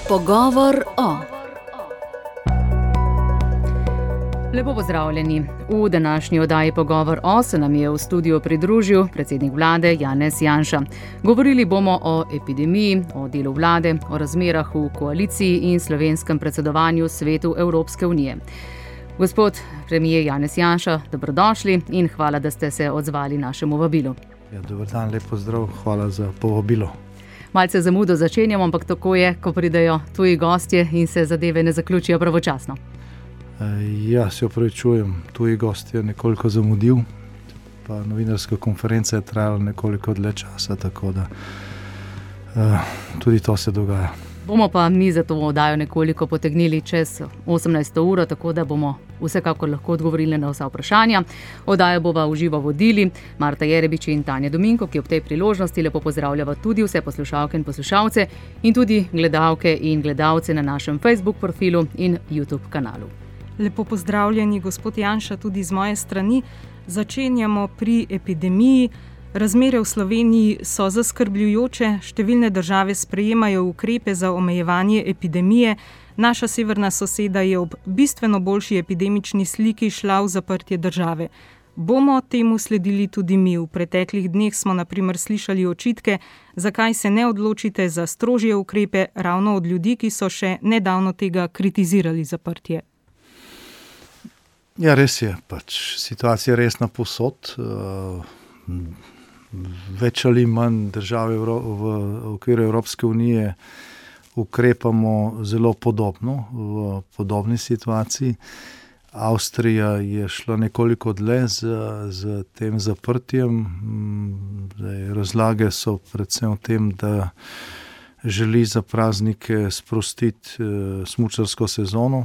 Pogovor o. Lepo pozdravljeni. V današnji oddaji Pogovor o se nam je v studiu pridružil predsednik vlade Janez Janša. Govorili bomo o epidemiji, o delu vlade, o razmerah v koaliciji in slovenskem predsedovanju Svetu Evropske unije. Gospod premier Janez Janša, dobrodošli in hvala, da ste se odzvali našemu vabilu. Dober dan, lep pozdrav, hvala za povabilo. Malce zamudo začenjamo, ampak tako je, ko pridejo tuji gostje in se zadeve ne zaključijo pravočasno. Se opravičujem, tuji gost je nekoliko zamudil, pa novinarska konferenca je trajala nekoliko dlje časa, tako da tudi to se dogaja. Bomo pa mi za to oddajo nekoliko potegnili čez 18. uro, tako da bomo vsekakor lahko odgovorili na vsa vprašanja. Oddajo bova v živo vodili Marta Jerebič in Tanja Dominko, ki ob tej priložnosti lepo pozdravljava tudi vse poslušalke in poslušalce in tudi gledalke in gledalce na našem Facebook profilu in YouTube kanalu. Lepo pozdravljeni, gospod Janša, tudi z moje strani. Začenjamo pri epidemiji. Razmere v Sloveniji so zaskrbljujoče, številne države sprejemajo ukrepe za omejevanje epidemije. Naša severna soseda je ob bistveno boljši epidemični sliki šla v zaprtje države. Bomo temu sledili tudi mi. V preteklih dneh smo na primer slišali očitke, zakaj se ne odločite za strožje ukrepe ravno od ljudi, ki so še nedavno tega kritizirali zaprtje. Ja, res je, situacija je resna povsod. Več ali manj države v okviru Evropske unije ukrepamo zelo podobno, v podobni situaciji. Avstrija je šla nekoliko dlje z tem zaprtjem. Razlage so predvsem v tem, da želi za praznike sprostiti smučarsko sezono,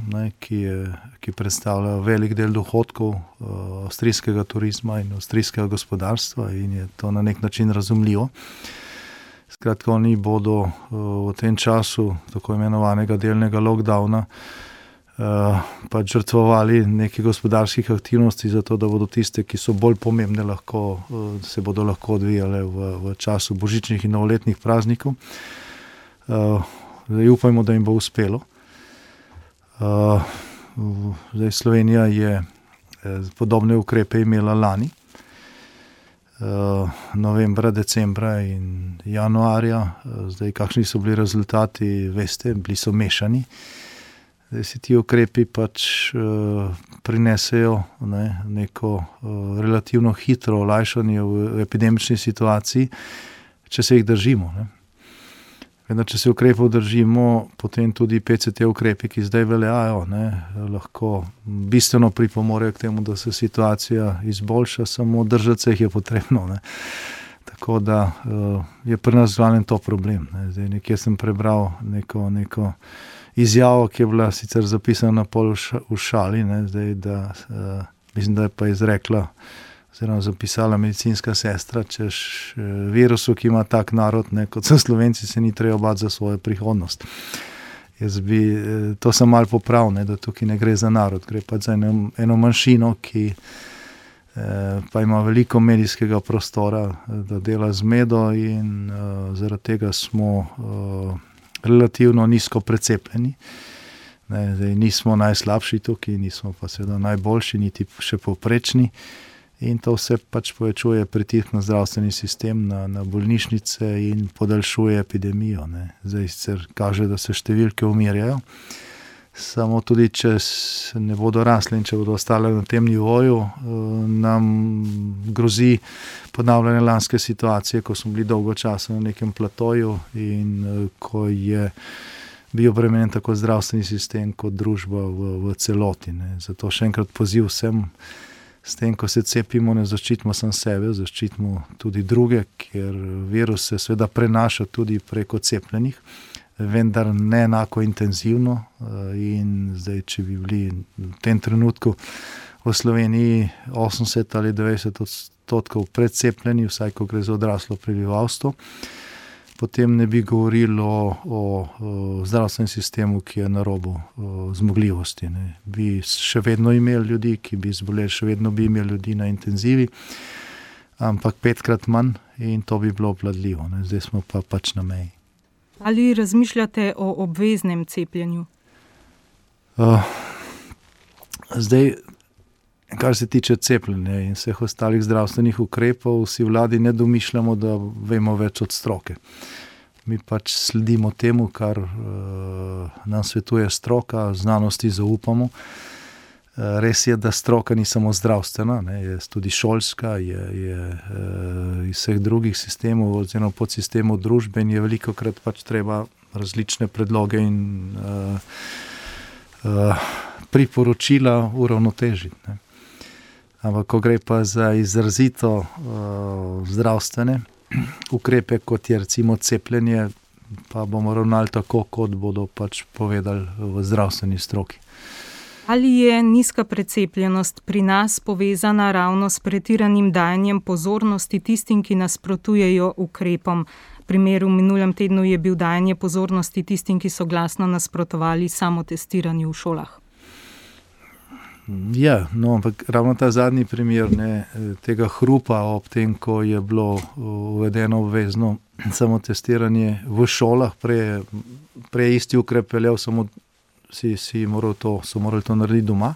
ki predstavlja velik del dohodkov avstrijskega turizma in avstrijskega gospodarstva in je to na nek način razumljivo. Skratka, oni bodo v tem času tako imenovanega delnega lockdowna žrtvovali nekaj gospodarskih aktivnosti zato, da bodo tiste, ki so bolj pomembne, se bodo lahko odvijale v času božičnih in novoletnih praznikov. Upajmo, da jim bo uspelo. Slovenija je podobne ukrepe imela lani, novembra, decembra in januarja. Kakšni so bili rezultati, veste, bili so mešani. Ti ukrepi prinesejo neko relativno hitro olajšanje v epidemični situaciji, če se jih držimo. Če se ukrepov držimo, potem tudi PCT ukrepi, ki zdaj veljajo, lahko bistveno pripomorejo k temu, da se situacija izboljša, samo držati se jih je potrebno. Tako da je pri nas glavnem to problem. Nekje sem prebral neko izjavo, ki je bila sicer zapisana pol v šali, mislim, da je pa izrekla oziroma zapisala medicinska sestra, češ virusu, ki ima tak narod, kot so Slovenci, se ni treba bati za svojo prihodnost. To sem malo popravil, da tukaj ne gre za narod, gre pa za eno manjšino, ki pa ima veliko medijskega prostora, da dela z medo in zaradi tega smo relativno nizko precepljeni. Nismo najslabši tukaj, nismo pa seveda najboljši, niti še povprečni. In to vse povečuje pritisk na zdravstveni sistem, na bolnišnice in podaljšuje epidemijo. Zdaj sicer kaže, da se številke umirjajo, samo tudi če ne bodo rasle in če bodo ostale na tem nivoju, nam grozi ponavljanje lanske situacije, ko smo bili dolgo časa na nekem platoju in ko je bil obremenjen tako zdravstveni sistem kot družba v celoti. Zato še enkrat poziv vsem, s tem, ko se cepimo, ne zaščitimo samo sebe, zaščitimo tudi druge, ker virus se seveda prenaša tudi preko cepljenih, vendar ne enako intenzivno. In zdaj, če bi bili v tem trenutku v Sloveniji 80 ali 90% predcepljeni, vsaj ko gre za odraslo prebivalstvo, potem ne bi govorili o zdravstvenem sistemu, ki je na robu zmogljivosti. Bi še vedno imeli ljudi, ki bi zboleli, še vedno bi imeli ljudi na intenzivi, ampak 5-krat manj in to bi bilo obvladljivo. Zdaj smo pa na meji. Ali razmišljate o obveznem cepljenju? Zdaj, kar se tiče cepljenja in vseh ostalih zdravstvenih ukrepov, vsi vladi ne domišljamo, da vemo več od stroke. Mi pač sledimo temu, kar nam svetuje stroka, znanosti zaupamo. Res je, da stroka ni samo zdravstvena, je tudi šolska, je iz vseh drugih sistemov oziroma podsistemov družbe in je velikokrat pač treba različne predloge in priporočila uravnotežiti. Ampak ko gre pa za izrazito zdravstvene ukrepe, kot je recimo cepljenje, pa bomo ravnali tako, kot bodo pač povedali v zdravstveni stroki. Ali je nizka precepljenost pri nas povezana ravno s pretiranim dajanjem pozornosti tistim, ki nasprotujejo ukrepom? Primer v minulem tednu je bil dajanje pozornosti tistim, ki so glasno nasprotovali samotestiranju v šolah. Ja, no, ampak ravno ta zadnji primer tega hrupa ob tem, ko je bilo uvedeno obvezno samotestiranje v šolah, prej isti ukrep veljal, samo so morali to narediti doma.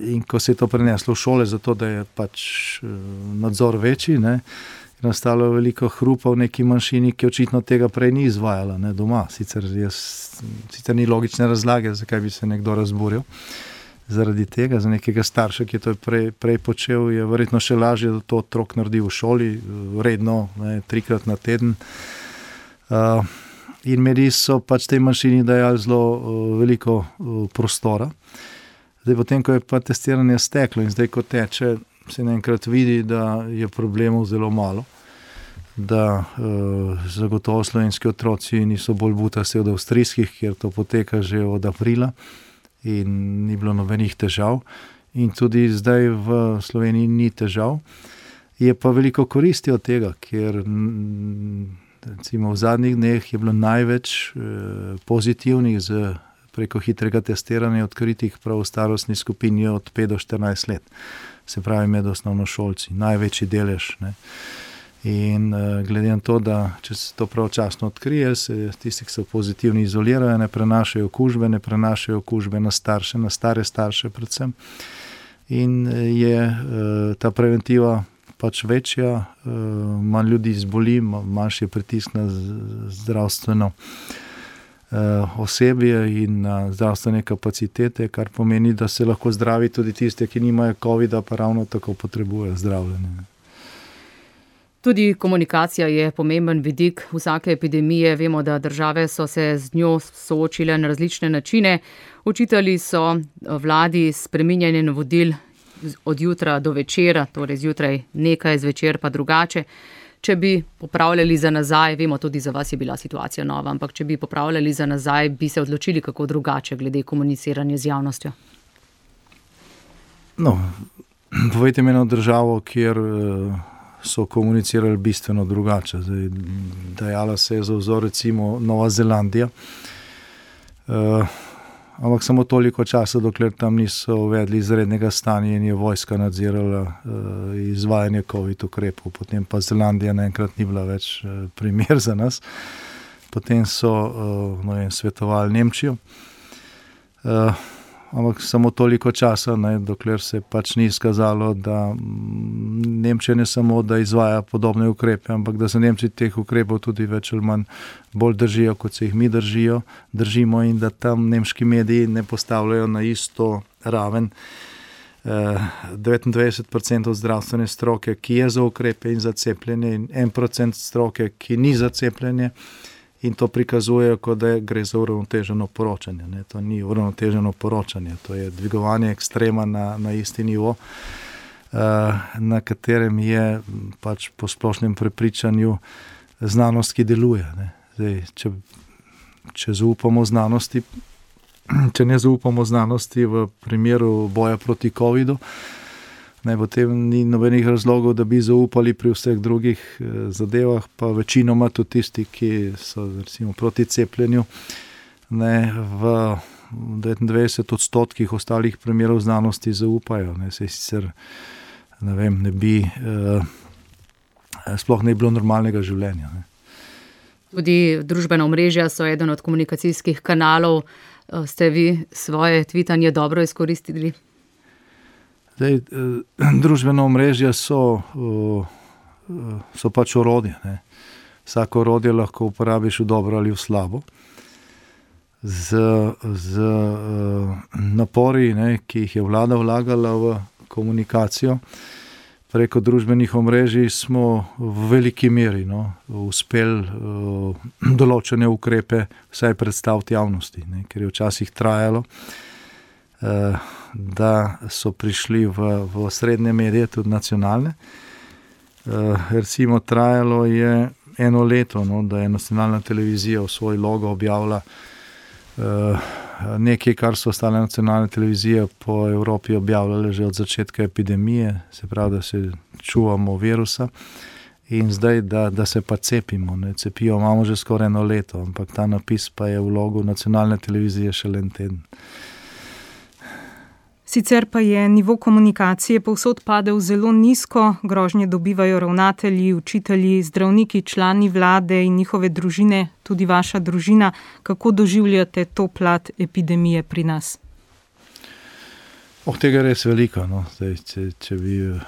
In ko se je to preneslo v šole, zato da je pač nadzor večji, je nastalo veliko hrupa v neki manjšini, ki očitno tega prej ni izvajala doma. Sicer ni logične razlage, zakaj bi se nekdo razburil zaradi tega. Za nekega starša, ki je to prej počel, je verjetno še lažje, da to otrok naredi v šoli, redno, 3-krat na teden. In mediji so pač tej manjšini dajali zelo veliko prostora. Zdaj, potem, ko je pa testiranje steklo in zdaj, ko teče, se naenkrat vidi, da je problemov zelo malo, da zagotovo slovenski otroci niso bolj butasti od avstrijskih, kjer to poteka že od aprila in ni bilo nobenih težav. In tudi zdaj v Sloveniji ni težav. Je pa veliko koristi od tega, ker recimo v zadnjih dneh je bilo največ pozitivnih preko hitrega testiranja odkritih prav v starostni skupini od 5 do 14 let. Se pravi med osnovnošolci, največji delež. In glede na to, da če se to pravočasno odkrije, se tisti, ki so pozitivni, izolirajo, ne prenašajo okužbe na starše, na stare starše predvsem. In je ta preventiva pač večja, manj ljudi zboli, manjši pritisk na zdravstveno osebje in na zdravstvene kapacitete, kar pomeni, da se lahko zdravi tudi tiste, ki nimajo covida, pa ravno tako potrebujejo zdravljenje. Tudi komunikacija je pomemben vidik vsake epidemije. Vemo, da države so se z njo soočile na različne načine. Očitali so vladi spreminjanje navodil od jutra do večera, torej zjutraj nekaj, zvečer pa drugače. Če bi popravljali za nazaj, vemo, tudi za vas je bila situacija nova, ampak če bi popravljali za nazaj, bi se odločili kako drugače glede komuniciranja z javnostjo? No, povejte mi eno državo, kjer so komunicirali bistveno drugače. Zdaj, dajala se je za vzor recimo Nova Zelandija, ampak samo toliko časa, dokler tam niso uvedli izrednega stanja in je vojska nadzirala izvajanje COVID ukrepov. Potem pa Zelandija naenkrat ni bila več primer za nas. Potem so svetovali Nemčijo. Ampak samo toliko časa, dokler se pač ni izkazalo, da Nemčija ne samo, da izvaja podobne ukrepe, ampak da se Nemci teh ukrepov tudi več ali manj bolj držijo, kot se jih mi držimo in da tam nemški mediji ne postavljajo na isto raven 29% zdravstvene stroke, ki je za ukrepe in za cepljenje, in 1% stroke, ki ni za cepljenje. In to prikazujejo, kot da gre za uravnoteženo poročanje. To ni uravnoteženo poročanje, to je dvigovanje ekstrema na isti nivo, na katerem je pač po splošnem prepričanju znanost, ki deluje. Zdaj, če zaupamo znanosti, če ne zaupamo znanosti v primeru boja proti covidu, potem ni nobenih razlogov, da bi zaupali pri vseh drugih zadevah, pa večinoma tudi tisti, ki so recimo proti cepljenju, v 99% ostalih primerov znanosti zaupajo. Se sicer sploh ne bi bilo normalnega življenja. Tudi družbena omrežja so eden od komunikacijskih kanalov. Ste vi svoje tvitanje dobro izkoristili? Zdaj, družbena omrežja so pač orodje. Ne. Vsako orodje lahko uporabiš v dobro ali v slabo. Z napori, ne, ki jih je vlada vlagala v komunikacijo, preko družbenih omrežij smo v veliki meri uspeli določene ukrepe vsaj predstaviti javnosti, ne, ker je včasih trajalo, da so prišli v srednje medije, tudi nacionalne. Recimo trajalo je 1 leto, da je nacionalna televizija v svoj logo objavila nekaj, kar so ostale nacionalne televizije po Evropi objavljale že od začetka epidemije, se pravi, da se čuvamo virusa in zdaj, da se pa cepimo. Ne. Cepijo imamo že skoraj 1 leto, ampak ta napis pa je v logu nacionalne televizije šele 1 teden. Sicer pa je nivo komunikacije povsod padel zelo nizko, grožnje dobivajo ravnatelji, učitelji, zdravniki, člani vlade in njihove družine, tudi vaša družina. Kako doživljate to plat epidemije pri nas? Tega je res veliko. No. Zdaj, če bi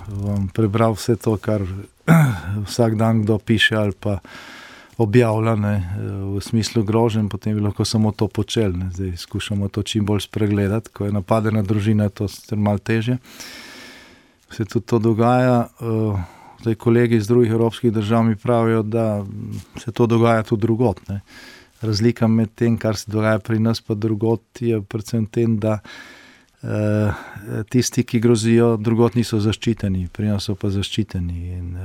vam prebral vse to, kar vsak dan kdo piše ali pa objavlja, ne, v smislu groženj, potem bi lahko samo to počeli. Ne. Zdaj skušamo to čim bolj spregledati, ko je napadena družina, to je malo težje. Se tudi to dogaja. Zdaj kolegi iz drugih evropskih držav mi pravijo, da se to dogaja tudi drugod. Ne. Razlika med tem, kar se dogaja pri nas pa drugod, je predvsem tem, da tisti, ki grozijo, drugod niso zaščiteni, pri nas so pa zaščiteni in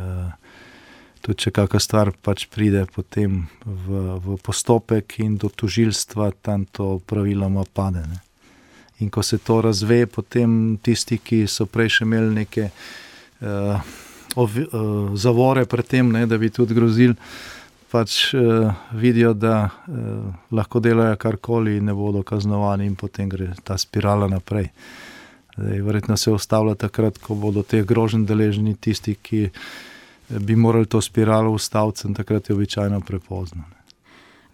tudi če kakšna stvar pač pride potem v postopek in do tožilstva, tam to praviloma pade. Ne. In ko se to razve, potem tisti, ki so prej še imeli neke zavore pred tem, ne, da bi tudi grozili, pač vidijo, da lahko delajo karkoli in ne bodo kaznovani in potem gre ta spirala naprej. Zdaj, verjetno se ustavlja takrat, ko bodo teh groženj deležni tisti, ki bi morali to spiralo ustaviti, in takrat je običajno prepozno.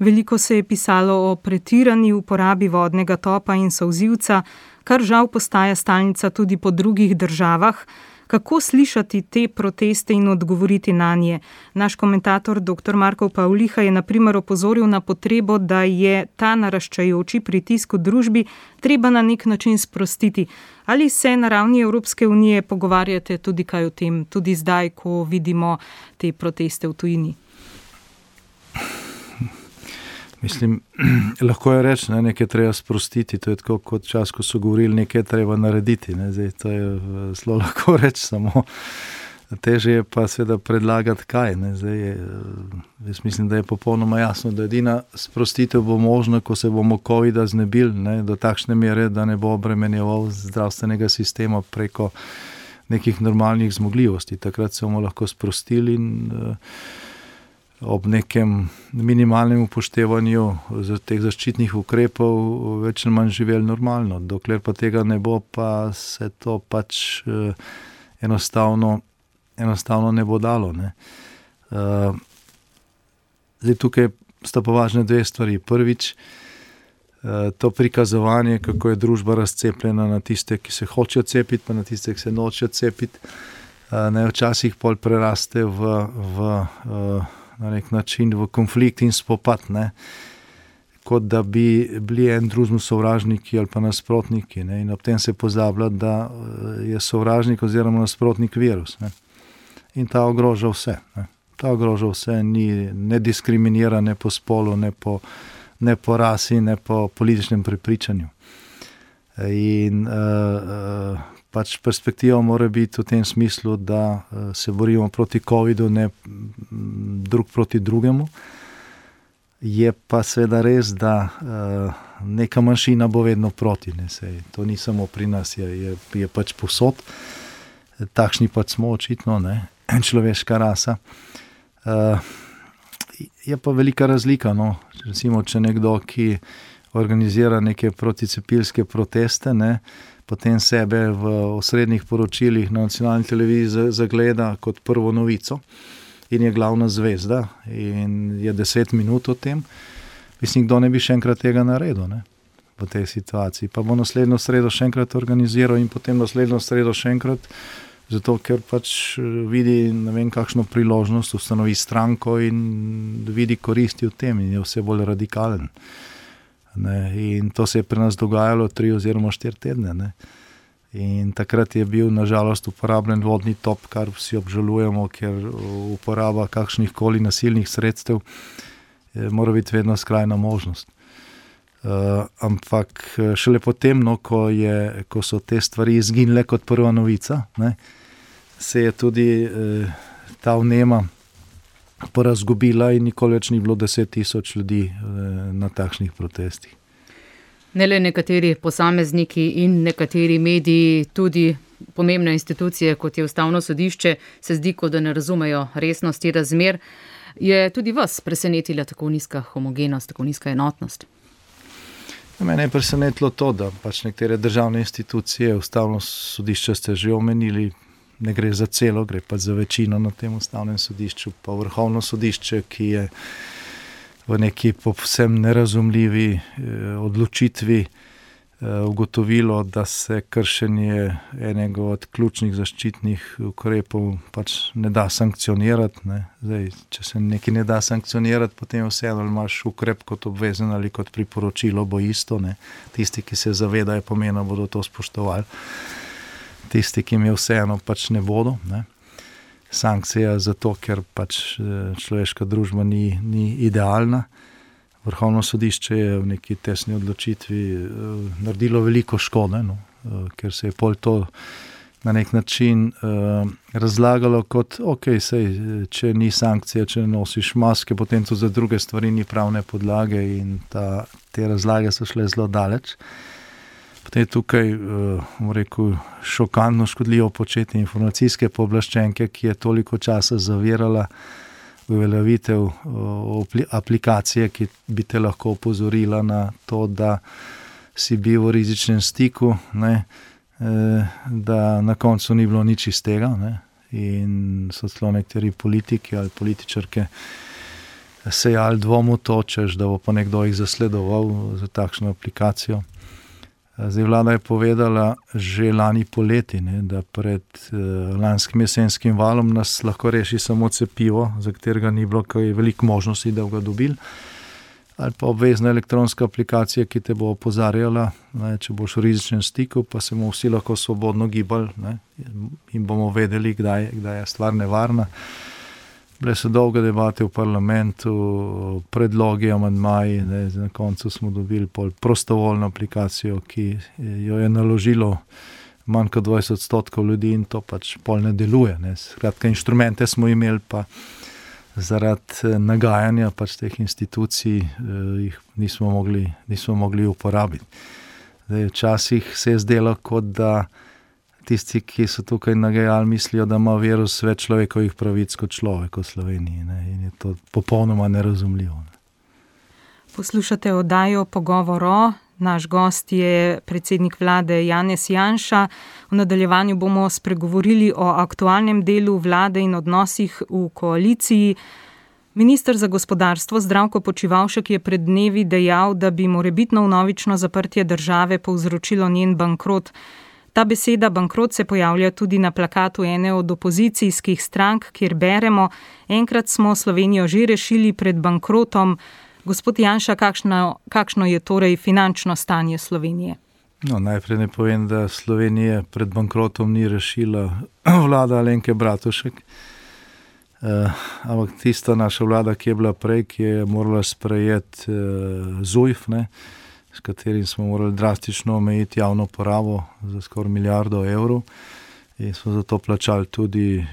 Veliko se je pisalo o pretirani uporabi vodnega topa in solzivca, kar žal postaja stalnica tudi po drugih državah. Kako slišati te proteste in odgovoriti nanje? Naš komentator dr. Marko Pavliha je na primer opozoril na potrebo, da je ta naraščajoči pritisk v družbi treba na nek način sprostiti. Ali se na ravni Evropske unije pogovarjate tudi kaj o tem, tudi zdaj, ko vidimo te proteste v tujini? Mislim, lahko je reči, ne, nekaj treba sprostiti, to je tako kot čas, ko so govorili, nekaj treba narediti. Ne. Zdaj, to je zelo lahko reči, samo teže je pa seveda predlagati kaj. Ne. Zdaj, jaz mislim, da je popolnoma jasno, da edina sprostitev bo možna, ko se bomo covida znebili, ne, do takšne mere, da ne bo obremenjeval zdravstvenega sistema preko nekih normalnih zmogljivosti. Takrat se bomo lahko sprostili in ob nekem minimalnem upoštevanju teh zaščitnih ukrepov več ali manj živeli normalno. Dokler pa tega ne bo, pa se to pač enostavno ne bo dalo. Ne. Zdaj tukaj sta pa važne 2 stvari. Prvič, to prikazovanje, kako je družba razcepljena na tiste, ki se hočejo cepiti, pa na tiste, ki se nočejo cepiti. Včasih pol preraste na nek način v konflikt in spopad, ne, kot da bi bili en drugemu sovražniki ali pa nasprotniki, ne, in ob tem se pozablja, da je sovražnik oziroma nasprotnik virus, ne, in ta ogroža vse, ne. Ta ogroža vse, ne diskriminira ne po spolu, ne po rasi, ne po političnem prepričanju. In pač perspektiva mora biti v tem smislu, da se borimo proti covidu, ne drug proti drugemu. Je pa seveda res, da neka manjšina bo vedno proti. Ne, to ni samo pri nas, je pač povsod. Takšni pač smo očitno, ne, človeška rasa. Je pa velika razlika, no. Recimo, če nekdo, ki organizira neke proticepilske proteste, ne, potem sebe v osrednjih poročilih na nacionalni televiziji zagleda kot prvo novico in je glavna zvezda in je 10 minut o tem, mislim, kdo ne bi še enkrat tega naredil, ne, v tej situaciji. Pa bo naslednjo sredo še enkrat organiziral in potem naslednjo sredo še enkrat, zato ker pač vidi, ne vem, kakšno priložnost, ustanovi stranko in vidi koristi v tem in je vse bolj radikalen. Ne, in to se je pri nas dogajalo 3 oziroma 4 tedne. Ne. In takrat je bil nažalost uporabljen vodni top, kar vsi obžalujemo, ker uporaba kakšnih koli nasilnih sredstev mora biti vedno skrajna možnost. Ampak šele potem, no, ko so te stvari izginile kot prva novica, ne, se je tudi ta vnema porazgubila in nikoli več ni bilo 10 000 ljudi na takšnih protestih. Ne le nekateri posamezniki in nekateri mediji, tudi pomembne institucije, kot je Ustavno sodišče, se zdi, kot da ne razumejo resnosti razmer. Je tudi vas presenetila tako nizka homogenost, tako nizka enotnost? Mene je presenetilo to, da pač nekatere državne institucije, Ustavno sodišče ste že omenili, ne gre za celo, gre pa za večino na tem Ustavnem sodišču, pa Vrhovno sodišče, ki je v neki povsem nerazumljivi odločitvi ugotovilo, da se kršenje enega od ključnih zaščitnih ukrepov pač ne da sankcionirati. Ne. Zdaj, če se nekaj ne da sankcionirati, potem vseeno imaš ukrep kot obvezen ali kot priporočilo, bo isto. Ne. Tisti, ki se zavedajo pomena, bodo to spoštovali. Tisti, ki jim je vseeno, pač ne bodo. Ne. Sankcija zato, ker pač človeška družba ni idealna. Vrhovno sodišče je v neki tesni odločitvi naredilo veliko škode, no, ker se je pol to na nek način razlagalo kot, sej, če ni sankcija, če nosiš maske, potem to za druge stvari ni pravne podlage in te razlage so šle zelo daleč. Potem je tukaj, rekel, šokantno škodljivo početje informacijske pooblaščenke, ki je toliko časa zavirala uveljavitev aplikacije, ki bi te lahko opozorila na to, da si bil v rizičnem stiku, ne, da na koncu ni bilo nič iz tega, ne, in so celo nekateri politiki ali političarke sejali dvom v to, češ, da bo pa nekdo jih zasledoval za takšno aplikacijo. Zdaj vlada je povedala že lani poleti, ne, da pred lanskim jesenskim valom nas lahko reši samo cepivo, za katerega ni bilo kaj veliko možnosti, da ga dobili, ali pa obvezna elektronska aplikacija, ki te bo opozarjala, ne, če boš v rizičnem stiku, pa se bomo vsi lahko svobodno gibali, ne, in bomo vedeli, kdaj je stvar nevarna. Bile so dolge debate v parlamentu, predlogi, amandmaji, ne, na koncu smo dobili prostovoljno aplikacijo, ki jo je naložilo manj kot 20% ljudi in to pač pol ne deluje. Ne. Skratka, inštrumente smo imeli, pa zaradi nagajanja pač teh institucij jih nismo mogli uporabiti. Zdaj, včasih se je zdelo, kot da tisti, ki so tukaj nagajali, mislijo, da ima virus več človekovih pravic kot človek v Sloveniji, ne, in je to popolnoma nerazumljivo. Ne. Poslušate oddajo Pogovor o. Naš gost je predsednik vlade Janez Janša. V nadaljevanju bomo spregovorili o aktualnem delu vlade in odnosih v koaliciji. Minister za gospodarstvo Zdravko Počivalšek je pred dnevi dejal, da bi morebitno vnovično zaprtje države povzročilo njen bankrot. Ta beseda bankrot se pojavlja tudi na plakatu ene od opozicijskih strank, kjer beremo: enkrat smo Slovenijo že rešili pred bankrotom. Gospod Janša, kakšno je torej finančno stanje Slovenije? No, najprej ne povem, da Slovenije pred bankrotom ni rešila vlada Alenke Bratušek. Ampak tista naša vlada, ki je bila prej, ki je morala sprejeti ZUJF, ne, s katerim smo morali drastično omejiti javno porabo za skoraj 1 milijardo evrov in smo zato plačali tudi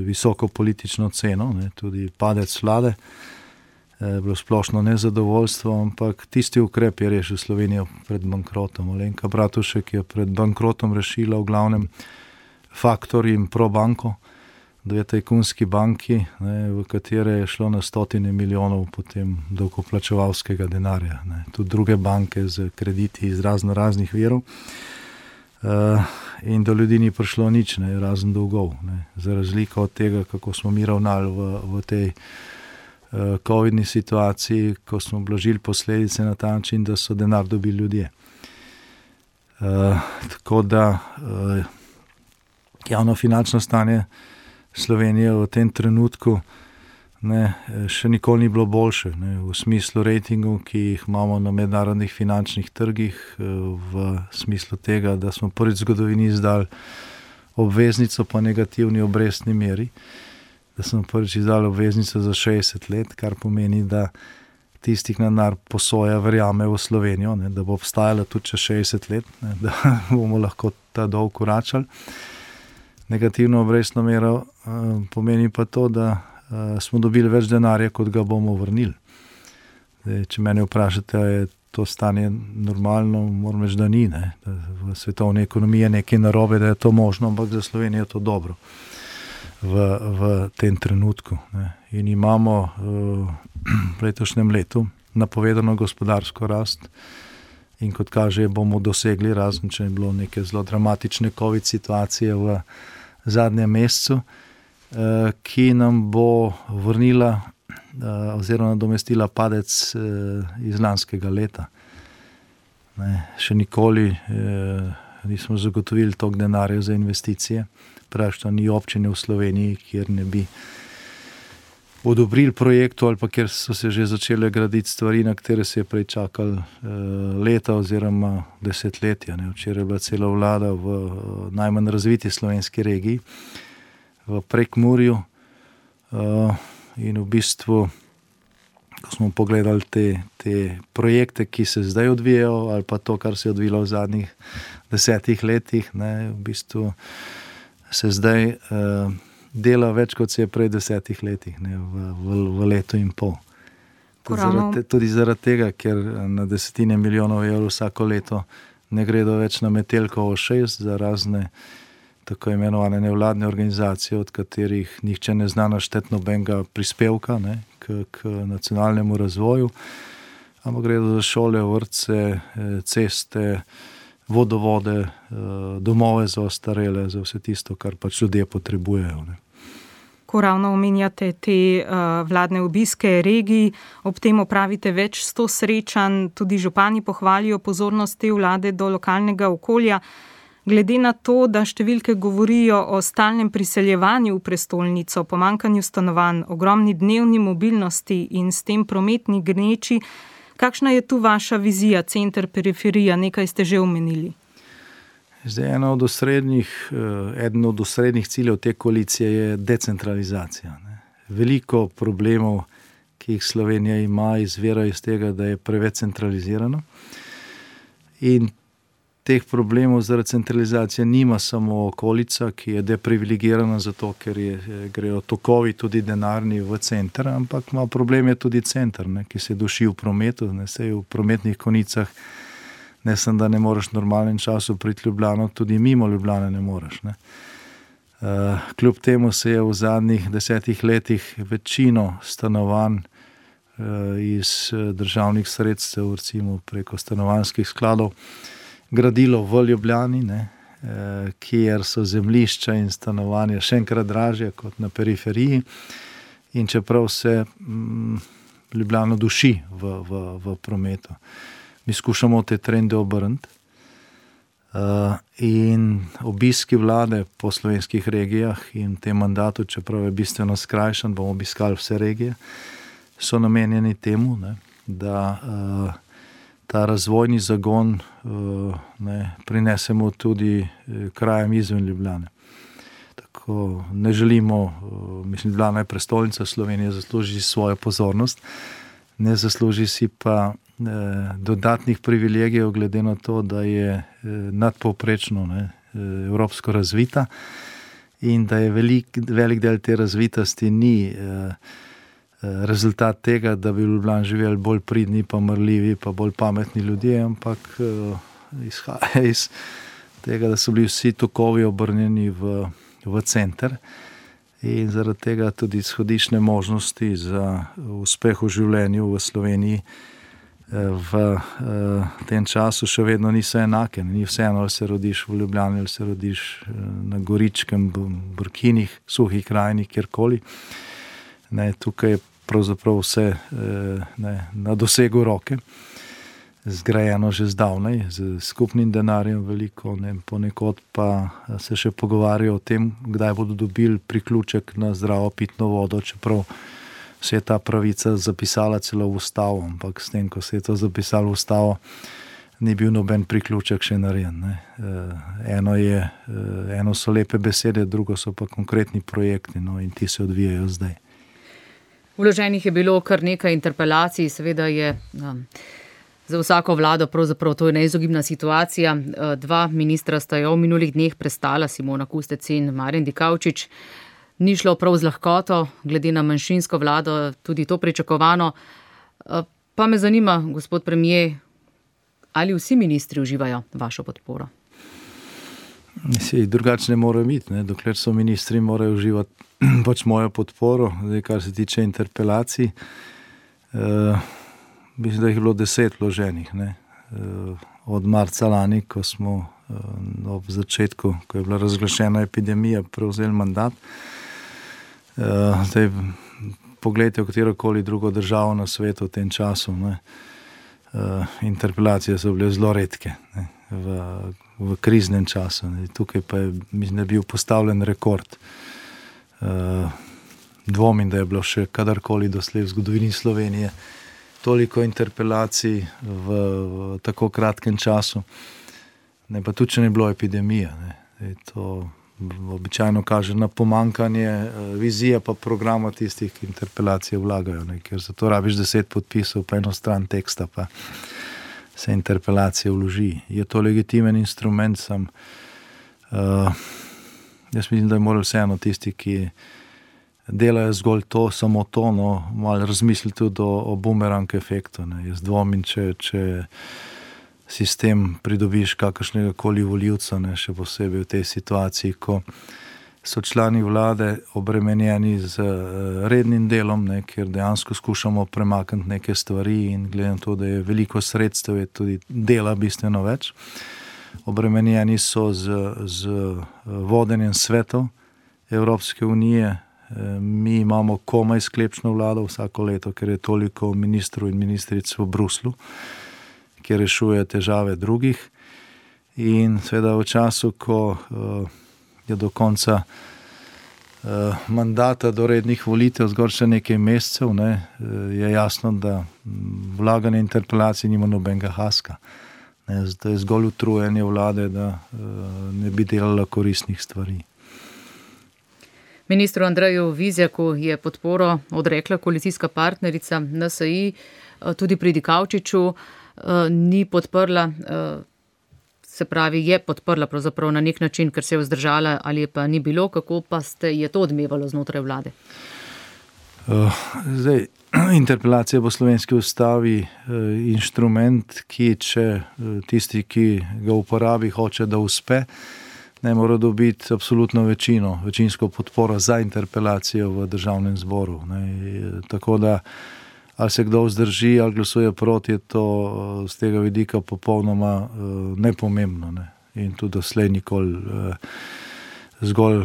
visoko politično ceno, ne, tudi padec vlade. Bilo splošno nezadovoljstvo, ampak tisti ukrep je rešil Slovenijo pred bankrotom. Alenka Bratušek je pred bankrotom rešila v glavnem Faktor in Probanko, 2 tajkunski banki, ne, v katere je šlo na stotine milijonov potem davkoplačevalskega denarja. Ne. Tudi druge banke z krediti iz raznih virov. in do ljudi ni prišlo nič, ne, razen dolgov. Ne. Za razliko od tega, kako smo mi ravnali v tej covidni situaciji, ko smo blažili posledice na ta način, da so denar dobili ljudje. Tako da javnofinančno stanje Slovenije v tem trenutku še nikoli ni bilo boljše, ne, v smislu rejtingov, ki jih imamo na mednarodnih finančnih trgih, v smislu tega, da smo prvič v zgodovini izdali obveznico po negativni obrestni meri, da smo prvič izdali obveznico za 60 let, kar pomeni, da tistih denar posoja verjame v Slovenijo, ne, da bo obstajala tudi čez 60 let, ne, da bomo lahko ta dolg vračali. Negativno obrestno mero pomeni pa to, da smo dobili več denarja, kot ga bomo vrnili. Zdaj, če mene vprašate, je to stanje normalno, moram reči, da ni. Ne? Da v svetovni ekonomiji je nekaj narobe, da je to možno, ampak za Slovenijo je to dobro v tem trenutku. Ne? In imamo v letošnjem letu napovedano gospodarsko rast in kot kaže, bomo dosegli, razen če je bilo neke zelo dramatične COVID situacije v zadnjem mesecu, ki nam bo vrnila oziroma nadomestila padec iz lanskega leta. Ne, še nikoli nismo zagotovili toliko denarja za investicije. Praktično ni občine v Sloveniji, kjer ne bi odobrili projektu ali pa kjer so se že začele graditi stvari, na katere se je prej čakalo leta oziroma desetletja. Ne. Včeraj je bila cela vlada v najmanj razviti slovenski regiji, v Prekmurju, in v bistvu, ko smo pogledali te projekte, ki se zdaj odvijajo, ali pa to, kar se je odvilo v zadnjih 10 letih, ne, v bistvu se zdaj dela več, kot se je prej 10 letih, ne, v letu in pol. Tudi zaradi tega, ker na desetine milijonov evrov vsako leto ne gredo več na Metelkovo 6 za razne tako imenovane nevladne organizacije, od katerih nihče ne zna našteti nobenega prispevka, ne, k nacionalnemu razvoju, ampak gredo za šole, vrtce, ceste, vodovode, domove za ostarele, za vse tisto, kar pač ljudje potrebujejo. Ne. Ko ravno omenjate te vladne obiske regiji, ob tem opravite več 100 srečanj, tudi župani pohvalijo pozornost te vlade do lokalnega okolja. Glede na to, da številke govorijo o stalnem priseljevanju v prestolnico, pomanjkanju stanovanj, ogromni dnevni mobilnosti in s tem prometni gneči, kakšna je tu vaša vizija, center, periferija, nekaj ste že omenili? Zdaj, eden od osrednjih ciljev te koalicije je decentralizacija. Ne. Veliko problemov, ki jih Slovenija ima, izvira iz tega, da je preveč centralizirano. In teh problemov zaradi centralizacije nima samo okolica, ki je deprivilegirana zato, ker grejo tokovi tudi denarni v center, ampak ima problem je tudi center, ne, ki se duši v prometu, ne, sej v prometnih konicah, ne samo, da ne moreš v normalnem času priti Ljubljano, tudi mimo Ljubljane ne moreš. Ne. Kljub temu se je v zadnjih 10 letih večino stanovanj iz državnih sredstev, recimo preko stanovanjskih skladov, gradilo v Ljubljani, ne, kjer so zemljišča in stanovanja še enkrat dražje kot na periferiji, in čeprav se Ljubljano duši v prometu. Mi skušamo te trende obrniti in obiski vlade po slovenskih regijah in v tem mandatu, čeprav je bistveno skrajšan, bomo obiskali vse regije, so namenjeni temu, ne, da ta razvojni zagon prinesemo tudi krajem izven Ljubljane. Tako ne želimo, mislim, Ljubljana je prestolnica Slovenije, zasluži svojo pozornost, ne zasluži si pa dodatnih privilegijev, glede na to, da je nadpovprečno, ne, evropsko razvita in da je velik del te razvitosti ni rezultat tega, da bi v Ljubljani živeli bolj pridni, pa marljivi, pa bolj pametni ljudje, ampak izhaja iz tega, da so bili vsi tokovi obrnjeni v center in zaradi tega tudi izhodišne možnosti za uspeh v življenju v Sloveniji v tem času še vedno niso enake. Ni vseeno, ali se rodiš v Ljubljani, ali se rodiš na Goričkem, Brkinih, Suhih krajini, kjerkoli. Tukaj je pravzaprav vse na dosegu roke, zgrajeno že zdavnaj, z skupnim denarjem veliko, ponekod pa se še pogovarjajo o tem, kdaj bodo dobili priključek na zdravo pitno vodo, čeprav se je ta pravica zapisala celo v ustavo, ampak s tem, ko se je to zapisalo v ustavo, ni bil noben priključek še narejen. Eno so lepe besede, drugo so pa konkretni projekti, in ti se odvijajo zdaj. Vloženih je bilo kar nekaj interpelacij, seveda je za vsako vlado pravzaprav to je neizogibna situacija. Dva ministra sta jo v minulih dneh prestala, Simona Kustec in Marjan Dikaučič. Ni šlo prav z lahkoto, glede na manjšinsko vlado, tudi to pričakovano. Pa me zanima, gospod premier, ali vsi ministri uživajo vašo podporo? Drugače ne morajo biti, dokler so ministri, morajo uživati pač mojo podporo. Zdaj, kar se tiče interpelacij, mislim, da jih je bilo 10 vloženih. Od marca lani, ko smo ob začetku, ko je bila razglašena epidemija, prevzeli mandat. Zdaj, pogledajte v katerokoli drugo državo na svetu v tem času. Interpelacije so bile zelo redke v kriznem času. Tukaj pa je, mislim, da je bil postavljen rekord. Dvomim, da je bilo še kadarkoli doslej v zgodovini Slovenije toliko interpelacij v tako kratkem času. Pa tudi, če ne bilo epidemije. To običajno kaže na pomankanje vizije pa programa tistih, ki interpelacije vlagajo. Ker za to rabiš 10 podpisov pa eno stran teksta, pa se interpelacije vloži. Je to legitimen instrument, jaz mislim, da je moral vseeno tisti, ki delajo zgolj to, samo to, malo razmisliti tudi o bumerang efektu. Jaz dvomim, če sistem pridobiš kakršnega koli volivca, še posebej v tej situaciji, ko so člani vlade obremenjeni z rednim delom, kjer dejansko skušamo premakniti neke stvari in glede na to, da je veliko sredstev, je tudi dela bistveno več. Obremenjeni so z vodenjem svetov Evropske unije. Mi imamo komaj sklepčno vlado vsako leto, ker je toliko ministrov in ministric v Bruslu, ki rešuje težave drugih. In seveda v času, ko je do konca mandata do rednih volitev zgolj še nekaj mesecev, je jasno, da vlaganje interpelacij nima nobenega haska. Zato je zgolj utrujanje vlade, da ne bi delala koristnih stvari. Ministru Andreju Vizjaku je podporo odrekla koalicijska partnerica NSi, tudi pri Dikaučiču ni podprla, se pravi, je podprla pravzaprav na nek način, ker se je vzdržala, ali pa ni bilo, kako pa je to odmevalo znotraj vlade? Zdaj, interpelacija po slovenski ustavi inštrument, ki če tisti, ki ga uporabi, hoče, da uspe, ne mora dobiti absolutno večinsko podporo za interpelacijo v državnem zboru. Tako da, ali se kdo vzdrži, ali glasuje proti, je to z tega vidika popolnoma nepomembno. In tudi doslej nikoli zgolj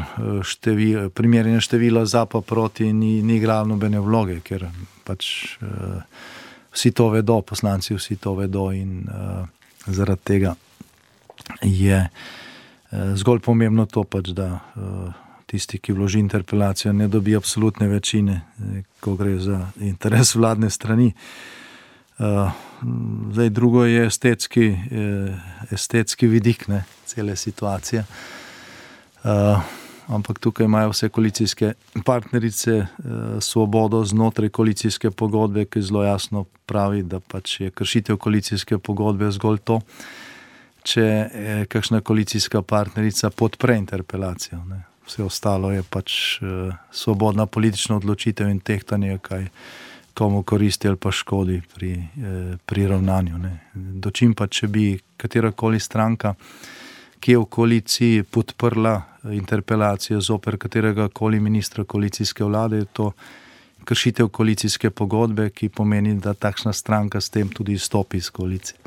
primerjanje števila za pa proti ni igralo nobene vloge, ker pač vsi to vedo, poslanci vsi to vedo in zaradi tega je zgolj pomembno to pač, da tisti, ki vloži interpelacijo, ne dobi absolutne večine, ko gre za interes vladne strani. Zdaj, drugo je estetski vidik cele situacije. Ampak tukaj imajo vse koalicijske partnerice svobodo znotraj koalicijske pogodbe, ki zelo jasno pravi, da pač je kršitev koalicijske pogodbe zgolj to, če kakšna koalicijska partnerica podpre interpelacijo. Vse ostalo je pač svobodna politična odločitev in tehtanje, kaj komu koristi ali pa škodi pri ravnanju. Dočim pa, če bi katerakoli stranka, ki je v koaliciji podprla interpelacijo zoper katerega koli ministra koalicijske vlade, je to kršitev koalicijske pogodbe, ki pomeni, da takšna stranka s tem tudi izstopi iz koalicije.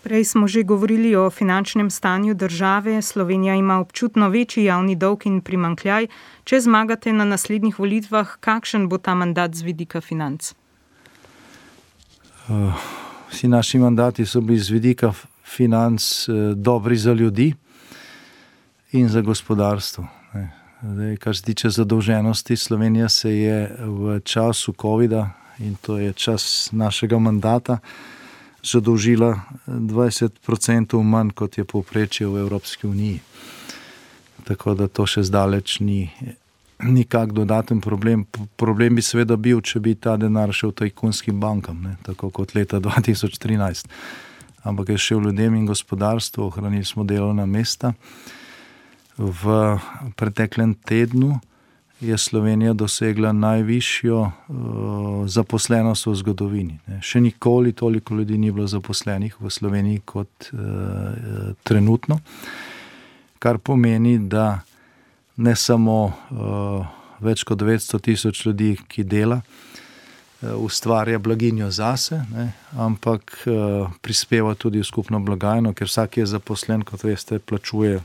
Prej smo že govorili o finančnem stanju države. Slovenija ima občutno večji javni dolg in primanjkljaj. Če zmagate na naslednjih volitvah, kakšen bo ta mandat z vidika financ? Vsi naši mandati so bili z vidika financ dobri za ljudi in za gospodarstvo. Zdaj, kar se tiče zadolženosti, Slovenija se je v času covida, in to je čas našega mandata, zadolžila 20% manj, kot je povprečje v Evropski uniji. Tako da to še zdaleč ni nikak dodaten problem. Problem bi seveda bil, če bi ta denar šel tajkunskim bankam, ne, tako kot leta 2013. Ampak je šel ljudem in gospodarstvu, ohranili smo delovna mesta. V preteklem tednu je Slovenija dosegla najvišjo zaposlenost v zgodovini. Še nikoli toliko ljudi ni bilo zaposlenih v Sloveniji kot trenutno, kar pomeni, da ne samo več kot 900 tisoč ljudi, ki dela, ustvarja blaginjo zase, ne, ampak prispeva tudi v skupno blagajno, ker vsak je zaposlen, kot veste, plačuje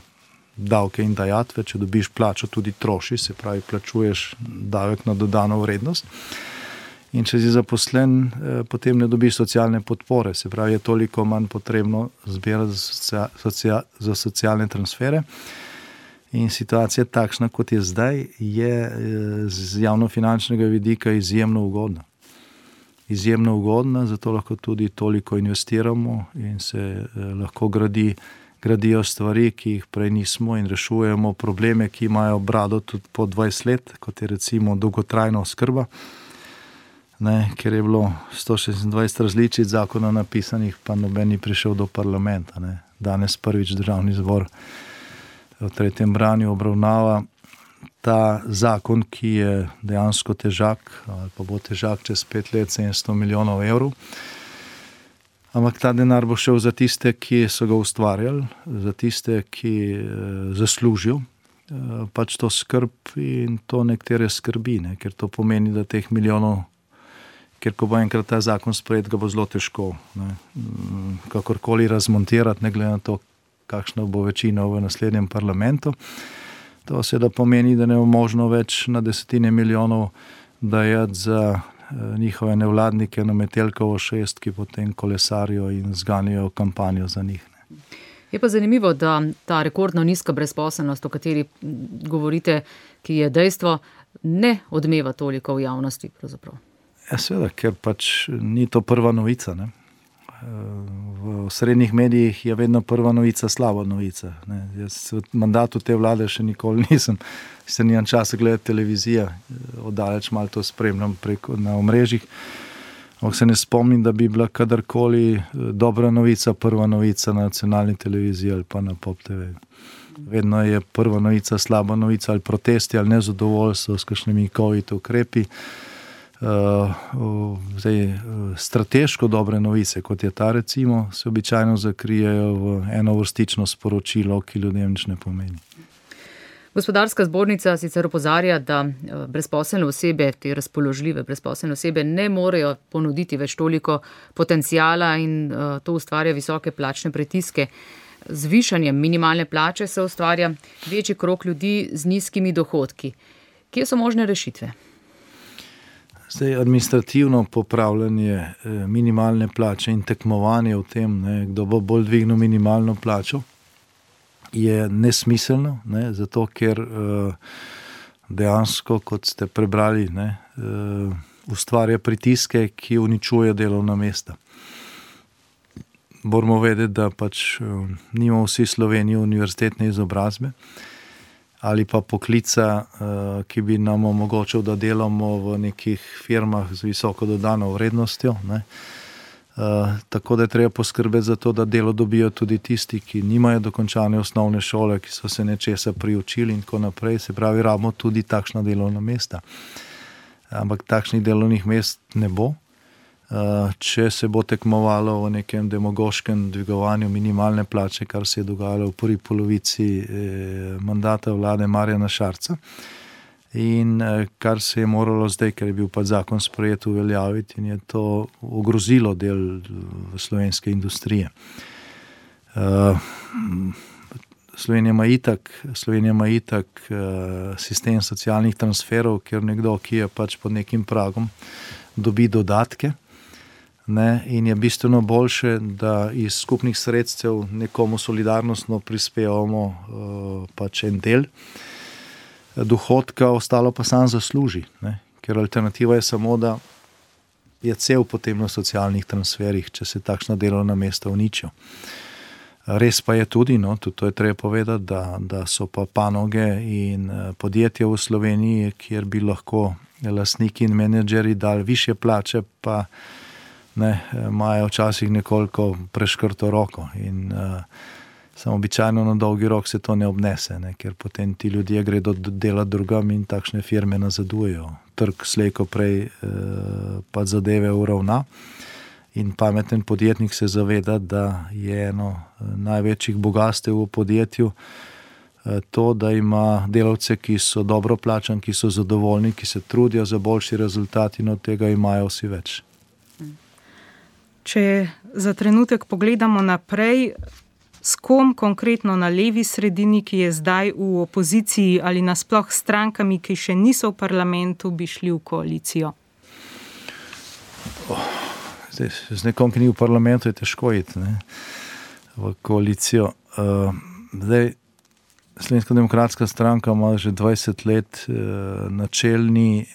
davke in dajatve. Če dobiš plačo, tudi troši, se pravi, plačuješ davek na dodano vrednost. In če si zaposlen, potem ne dobiš socialne podpore, se pravi, je toliko manj potrebno zbirati za socialne transfere. In situacija takšna, kot je zdaj, je z javnofinančnega vidika izjemno ugodna. Izjemno ugodna, zato lahko tudi toliko investiramo in se lahko gradijo stvari, ki jih prej nismo, in rešujemo probleme, ki imajo brado tudi po 20 let, kot je recimo dolgotrajna oskrba, ne, ker je bilo 126 različic zakona napisanih, pa noben ni prišel do parlamenta. Ne. Danes prvič Državni zbor v 3. branju obravnava ta zakon, ki je dejansko težak, ali pa bo težak čez 5 let 700 milijonov evrov. Ampak ta denar bo šel za tiste, ki so ga ustvarjali, za tiste, ki zaslužijo pač to skrb, in to nekatere skrbi, ne, ker to pomeni, da teh milijonov, ker ko bo enkrat ta zakon sprejet, ga bo zelo težko, ne, kakorkoli razmontirati, ne glede na to, kakšna bo večina v naslednjem parlamentu. To seveda pomeni, da ne bo možno več na desetine milijonov dajati za njihove nevladnike na Metelkovo 6, ki potem kolesarijo in zganijo kampanjo za njih. Je pa zanimivo, da ta rekordno nizka brezposelnost, o kateri govorite, ki je dejstvo, ne odmeva toliko v javnosti pravzaprav. Ja, seveda, ker pač ni to prva novica, ne. V srednjih medijih je vedno prva novica slaba novica, ne. Jaz v mandatu te vlade še nikoli nimam časa gledati televizijo, oddaleč malo to spremljam preko na omrežjih, ampak se ne spomnim, da bi bila kadarkoli dobra novica prva novica na nacionalni televiziji ali pa na Pop TV. Vedno je prva novica slaba novica, ali protesti, ali nezadovoljstvo s kakšnimi covid ukrepi. Strateško dobre novice, kot je ta recimo, se običajno zakrijejo v enovrstično sporočilo, ki ljudem nič ne pomeni. Gospodarska zbornica sicer opozarja, da brezposelne osebe, te razpoložljive brezposelne osebe, ne morejo ponuditi več toliko potencijala in to ustvarja visoke plačne pritiske. Z višanjem minimalne plače se ustvarja večji krog ljudi z nizkimi dohodki. Kje so možne rešitve? Zdaj, administrativno popravljanje minimalne plače in tekmovanje v tem, ne, kdo bo bolj dvignil minimalno plačo, je nesmiselno, ne, zato ker dejansko, kot ste prebrali, ne, ustvarja pritiske, ki uničujejo delovna mesta. Moramo vedeti, da pač nimamo vsi Sloveniji univerzitetne izobrazbe ali pa poklica, ki bi nam omogočil, da delamo v nekih firmah z visoko dodano vrednostjo, ne. Tako da je treba poskrbeti za to, da delo dobijo tudi tisti, ki nimajo dokončane osnovne šole, ki so se nečesa priučili in tako naprej. Se pravi, rabimo tudi takšna delovna mesta. Ampak takšnih delovnih mest ne bo. Če se bo tekmovalo v nekem demagoškem dvigovanju minimalne plače, kar se je dogajalo v prvi polovici mandata vlade Marjana Šarca, in kar se je moralo zdaj, ker je bil pa zakon sprejet, uveljaviti in je to ogrozilo del slovenske industrije. Slovenija ima itak sistem socialnih transferov, kjer nekdo, ki je pač pod nekim pragom, dobi dodatke, ne, in je bistveno boljše, da iz skupnih sredstev nekomu solidarnostno prispevamo pač en del dohodka, ostalo pa sam zasluži, ne, ker alternativa je samo, da je cel potem na socialnih transferih, če se takšna delovna mesta uničijo. Res pa je tudi, tudi to je treba povedati, da so pa panoge in podjetja v Sloveniji, kjer bi lahko lastniki in menedžeri dali višje plače, pa imajo včasih nekoliko preškrto roko in samo običajno na dolgi rok se to ne obnese, ker potem ti ljudje gredo delati drugam in takšne firme nazadujejo. Trg slej ko prej pa zadeve uravna. In pameten podjetnik se zaveda, da je eno največjih bogastev v podjetju to, da ima delavce, ki so dobro plačani, ki so zadovoljni, ki se trudijo za boljši rezultat in od tega imajo vsi več. Če za trenutek pogledamo naprej, s kom konkretno na levi sredini, ki je zdaj v opoziciji, ali nasploh s strankami, ki še niso v parlamentu, bi šli v koalicijo? Z nekom, ki ni v parlamentu, je težko iti v koalicijo. Slovenska demokratska stranka ima že 20 let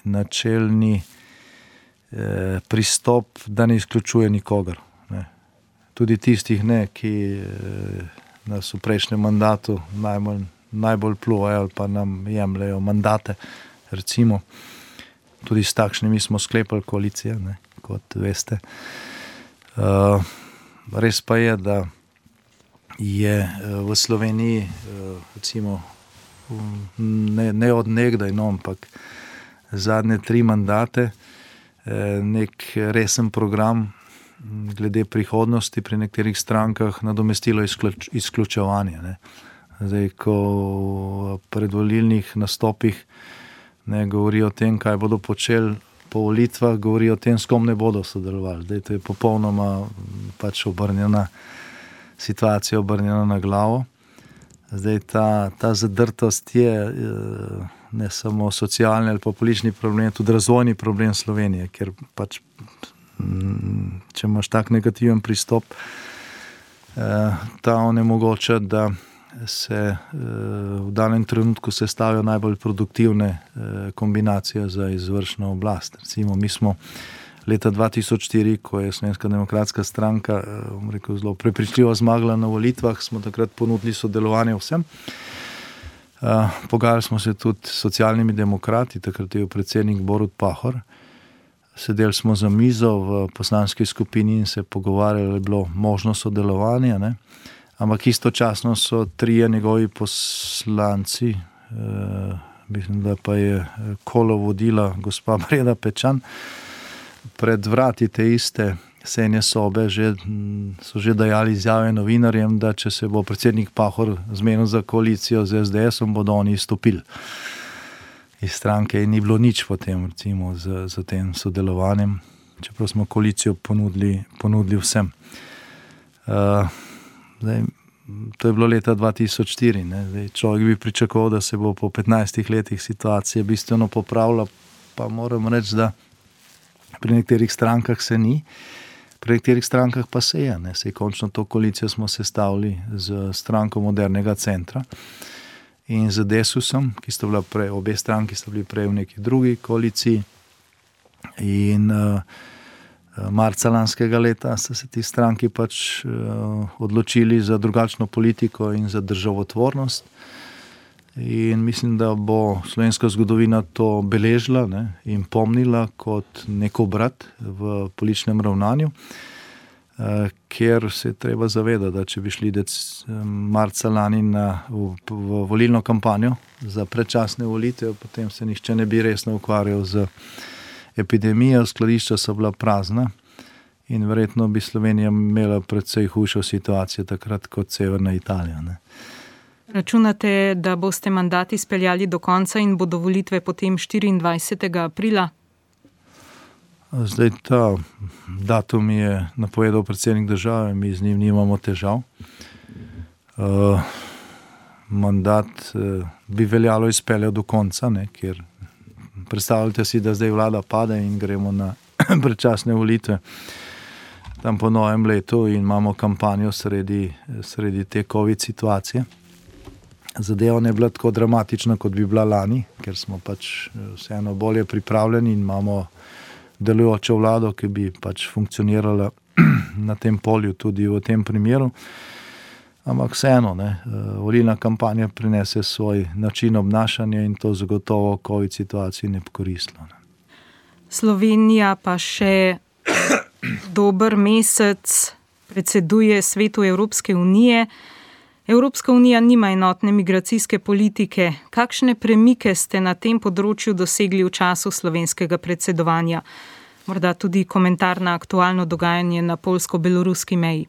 načelni pristop, da ne izključuje nikogar. Tudi tistih, ki nas v prejšnjem mandatu najbolj pluvajo ali pa nam jemljajo mandate, recimo. Tudi s takšnimi smo sklepali koalicije, kot veste. Res pa je, da je v Sloveniji, recimo, ne od nekdaj, ampak zadnje 3 mandate, nek resen program glede prihodnosti pri nekaterih strankah nadomestilo izključevanje. Zdaj, ko v predvolilnih nastopih govorijo o tem, kaj bodo počeli po volitvah, govorijo o tem, s kom ne bodo sodelovali. Zdaj, to je popolnoma pač obrnjena situacija, obrnjena na glavo. Zdaj, ta zadrtost je ne samo socialni ali pa politični problem, tudi razvojni problem Slovenije, ker pač, če imaš tak negativen pristop, ta onemogoča, da se v danem trenutku sestavijo najbolj produktivne kombinacije za izvršno oblast. Recimo, mi smo leta 2004, ko je Slovenska demokratska stranka zelo prepričljivo zmagala na volitvah, smo takrat ponudili sodelovanje vsem. Pogajali smo se tudi s socialnimi demokrati, takrat je bil predsednik Borut Pahor. Sedeli smo za mizo v poslanski skupini in se pogovarjali, je bilo možno sodelovanje, ampak istočasno so 3 njegovi poslanci, mislim, da pa je kolo vodila gospa Breda Pečan, pred vrati te iste sejne sobe so že dajali izjave novinarjem, da če se bo predsednik Pahor zmenil za koalicijo z SDS-om, bodo oni izstopili iz stranke in ni bilo nič potem, recimo, z tem sodelovanjem, čeprav smo koalicijo ponudili vsem. Zdaj, to je bilo leta 2004. Zdaj, človek bi pričakoval, da se bo po 15 letih situacija bistveno popravila, pa moram reči, da pri nekaterih strankah se ni, pri nekaterih strankah pa se je. Sej končno to koalicijo smo sestavili z stranko Modernega centra in z Desusom, ki sta bila prej, obe stranki sta bili prej v neki drugi koaliciji, in marca lanskega leta sta se ti stranki pač odločili za drugačno politiko in za državotvornost. In mislim, da bo slovenska zgodovina to beležila in pomnila kot nek obrat v političnem ravnanju, ker se je treba zavedati, da če bi šli marca lani v volilno kampanjo za predčasne volitve, potem se nihče ne bi resno ukvarjal z epidemijo, skladišča so bila prazna in verjetno bi Slovenija imela precej hujšo situacijo takrat kot Severna Italija. Računate, da boste mandat izpeljali do konca in bodo volitve potem 24. aprila? Zdaj ta datum je napovedal predsednik države, mi z njim nimamo težav. Mandat bi veljalo izpeljati do konca, ne, ker predstavljate si, da zdaj vlada pade in gremo na predčasne volitve tam po novem letu in imamo kampanjo sredi te COVID situacije. Zadeva ne bila tako dramatična, kot bi bila lani, ker smo pač vseeno bolje pripravljeni in imamo delujočo vlado, ki bi pač funkcionirala na tem polju tudi v tem primeru. Ampak vseeno, volilna kampanja prinese svoj način obnašanja in to zagotovo COVID situaciji ne bi koristilo. Slovenija pa še dober mesec predseduje Svetu Evropske unije. Evropska unija nima enotne migracijske politike. Kakšne premike ste na tem področju dosegli v času slovenskega predsedovanja? Morda tudi komentar na aktualno dogajanje na poljsko-beloruski meji.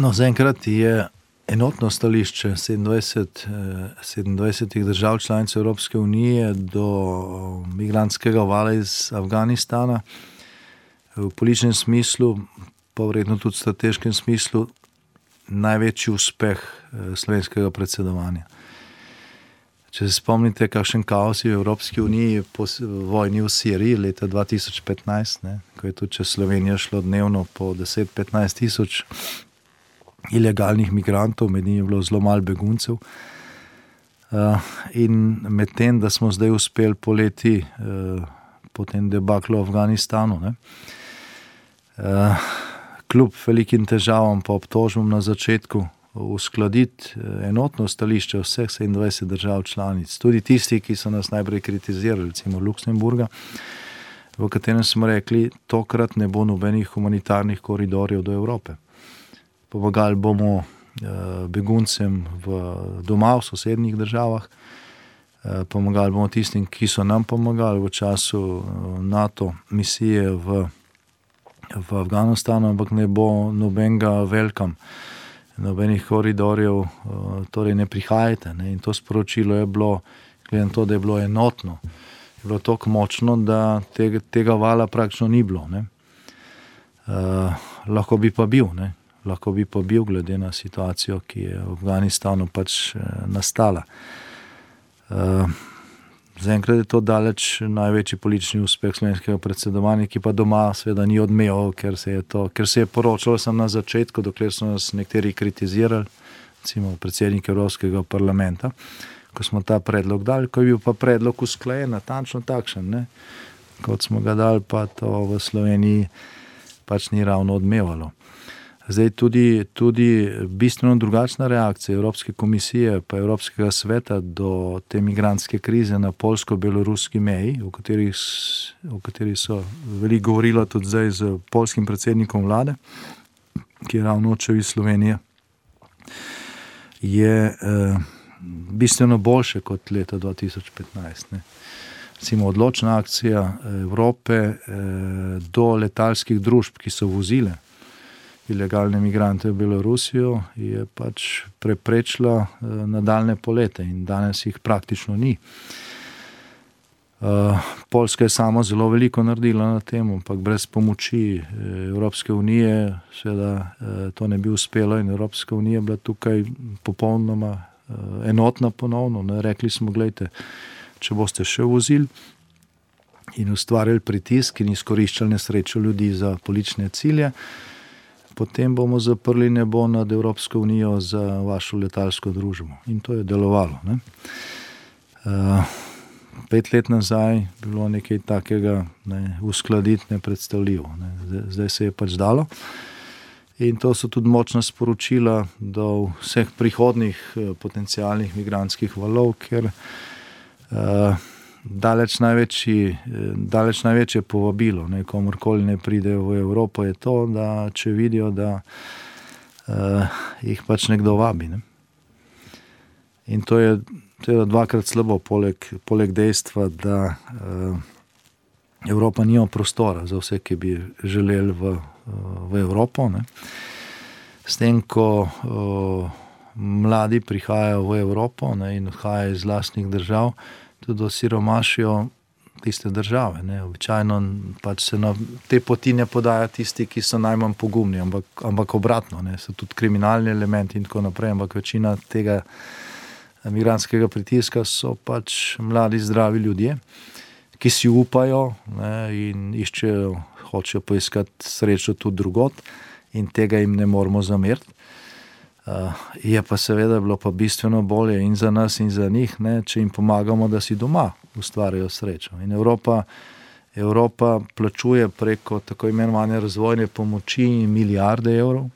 No, zaenkrat je enotno stališče 27 držav članic Evropske unije do migrantskega vala iz Afganistana. V političnem smislu, pa verjetno tudi v strateškem smislu, največji uspeh slovenskega predsedovanja. Če se spomnite, kakšen kaos je v Evropski uniji po vojni v Siriji leta 2015, ko je tudi čez Slovenijo šlo dnevno po 10-15 tisoč ilegalnih migrantov, med njimi je bilo zelo malo beguncev. In med tem, da smo zdaj uspeli poleti po tem debaklu v Afganistanu, kljub velikim težavam pa obtožbam na začetku uskladiti enotno stališče vseh 27 držav članic, tudi tisti, ki so nas najprej kritizirali, recimo Luksemburga, v katerem smo rekli, tokrat ne bo nobenih humanitarnih koridorjev do Evrope. Pomagali bomo beguncem doma v sosednjih državah, pomagali bomo tistim, ki so nam pomagali v času NATO misije v Afganistanu, ampak ne bo nobenega welcome, nobenih koridorjev, torej ne prihajate. In to sporočilo je bilo, glede na to, da je bilo enotno, je bilo toliko močno, da tega vala praktično ni bilo. Lahko bi pa bil, glede na situacijo, ki je v Afganistanu pač nastala. Zaenkrat je to daleč največji politični uspeh slovenskega predsedovanja, ki pa doma seveda ni odmeval, ker se je poročalo sem na začetku, dokler so nas nekateri kritizirali, recimo predsednik Evropskega parlamenta, ko smo ta predlog dali, ko je bil pa predlog usklajen, natančno takšen, kot smo ga dali, pa to v Sloveniji pač ni ravno odmevalo. Zdaj tudi bistveno drugačna reakcija Evropske komisije pa Evropskega sveta do te migrantske krize na poljsko-beloruski meji, o kateri so veliko govorilo tudi zdaj z poljskim predsednikom vlade, ki je ravno odšel iz Slovenije, je bistveno boljše kot leta 2015. Recimo odločna akcija Evrope do letalskih družb, ki so vozile ilegalne migrante v Belorusijo, je pač preprečila nadaljne polete in danes jih praktično ni. Poljska je sama zelo veliko naredila na tem, ampak brez pomoči Evropske unije seveda to ne bi uspelo in Evropska unija je bila tukaj popolnoma enotna ponovno. Rekli smo, gledajte, če boste še vozili in ustvarjali pritisk in izkoriščali nesrečo ljudi za politične cilje, potem bomo zaprli nebo nad Evropsko unijo za vašo letalsko družbo. In to je delovalo. 5 let nazaj bilo nekaj takega uskladiti nepredstavljivo. Zdaj se je pač dalo. In to so tudi močna sporočila do vseh prihodnih potencialnih migrantskih valov, ker daleč največje povabilo, komorkoli ne pride v Evropo, je to, da če vidijo, da jih pač nekdo vabi. In to je dvakrat slabo, poleg dejstva, da Evropa nima prostora za vse, ki bi želeli v Evropo. S tem, ko mladi prihajajo v Evropo, ne, in odhajajo iz lastnih držav, tudi osiromašijo tiste države. Ne. Običajno pač se na te poti ne podajo tisti, ki so najmanj pogumni, ampak obratno, ne, so tudi kriminalni elementi in tako naprej, ampak večina tega migrantskega pritiska so pač mladi, zdravi ljudje, ki si upajo, ne, in hočejo poiskati srečo tudi drugod in tega jim ne moramo zameriti. Je pa seveda bilo pa bistveno bolje in za nas in za njih, ne, če jim pomagamo, da si doma ustvarjajo srečo. In Evropa plačuje preko tako imenovane razvojne pomoči milijarde evrov,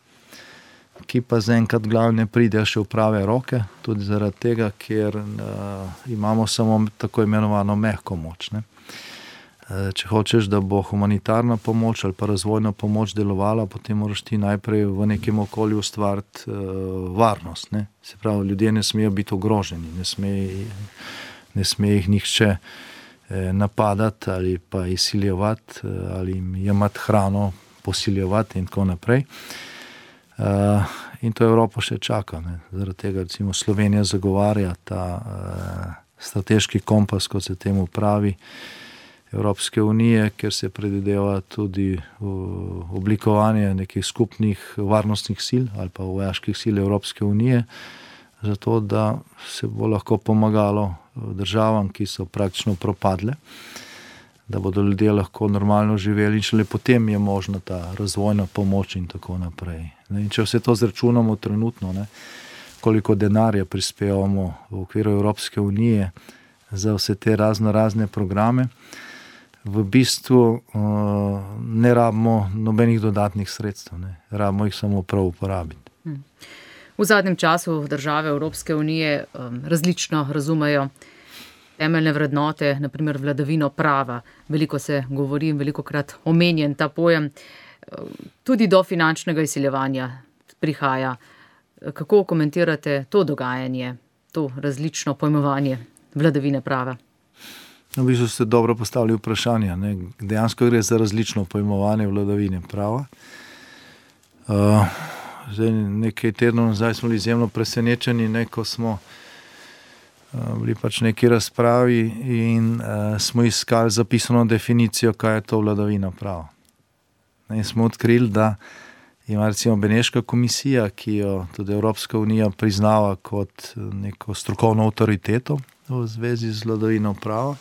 ki pa zaenkrat glavne pridejo še v prave roke, tudi zaradi tega, ker imamo samo tako imenovano mehko moč. Ne. Če hočeš, da bo humanitarna pomoč ali pa razvojna pomoč delovala, potem moraš ti najprej v nekem okolju ustvariti varnost. Ne. Se pravi, ljudje ne smejo biti ogroženi, ne sme jih nihče napadati ali pa izsiljevati ali jim jemati hrano, posiljevati in tako naprej. In to Evropo še čaka. Ne. Zaradi tega recimo Slovenija zagovarja ta strateški kompas, kot se temu pravi, Evropske unije, ker se predvideva tudi oblikovanje nekih skupnih varnostnih sil ali pa vojaških sil Evropske unije, zato da se bo lahko pomagalo državam, ki so praktično propadle, da bodo ljudje lahko normalno živeli in šele potem je možna ta razvojna pomoč in tako naprej. In če vse to zračunamo trenutno, ne, koliko denarja prispevamo v okviru Evropske unije za vse te razne programe, v bistvu ne rabimo nobenih dodatnih sredstev, ne. Rabimo jih samo prav uporabiti. V zadnjem času države Evropske unije različno razumejo temeljne vrednote, naprimer vladavino prava. Veliko se govori, velikokrat omenjen ta pojem. Tudi do finančnega izsiljevanja prihaja. Kako komentirate to dogajanje, to različno pojmovanje vladavine prava? V bistvu ste dobro postavili vprašanje. Ne. Dejansko gre za različno pojmovanje vladavine prava. Zdaj, nekaj tednov nazaj smo bili izjemno presenečeni, ne, ko smo bili pač neki razpravi in smo iskali zapisano definicijo, kaj je to vladavina prava. In smo odkrili, da ima recimo Beneška komisija, ki jo tudi Evropska unija priznava kot neko strokovno avtoriteto v zvezi z vladavino prava,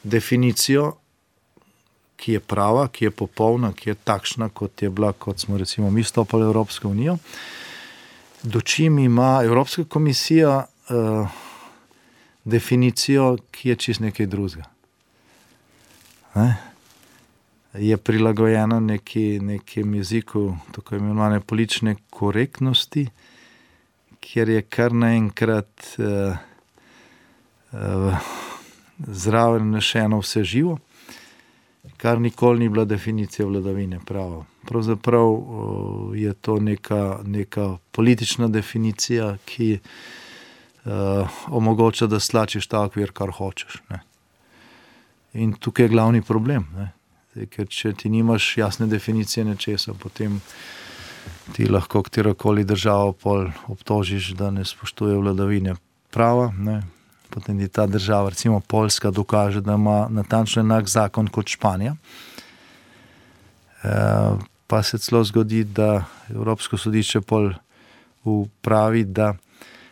definicijo, ki je prava, ki je popolna, ki je takšna, kot je bila, kot smo recimo mi stopili v Evropsko unijo. Dočim ima Evropska komisija definicijo, ki je čist nekaj drugega. Ne? Je prilagojena nekem jeziku tako imenovane politične korektnosti, kjer je kar naenkrat zraven nešeno vse živo, kar nikoli ni bila definicija vladavine prava. Pravzaprav je to neka politična definicija, ki omogoča, da slačiš ta okvir, kar hočeš. Ne. In tukaj je glavni problem. Ne. Ker če ti nimaš jasne definicije nečesa, potem ti lahko katerokoli državo pol obtožiš, da ne spoštuje vladavine prava. Ne. Potem ti ta država, recimo Poljska, dokaže, da ima natančno enak zakon kot Španija. Pa se celo zgodi, da Evropsko sodišče pol pravi, da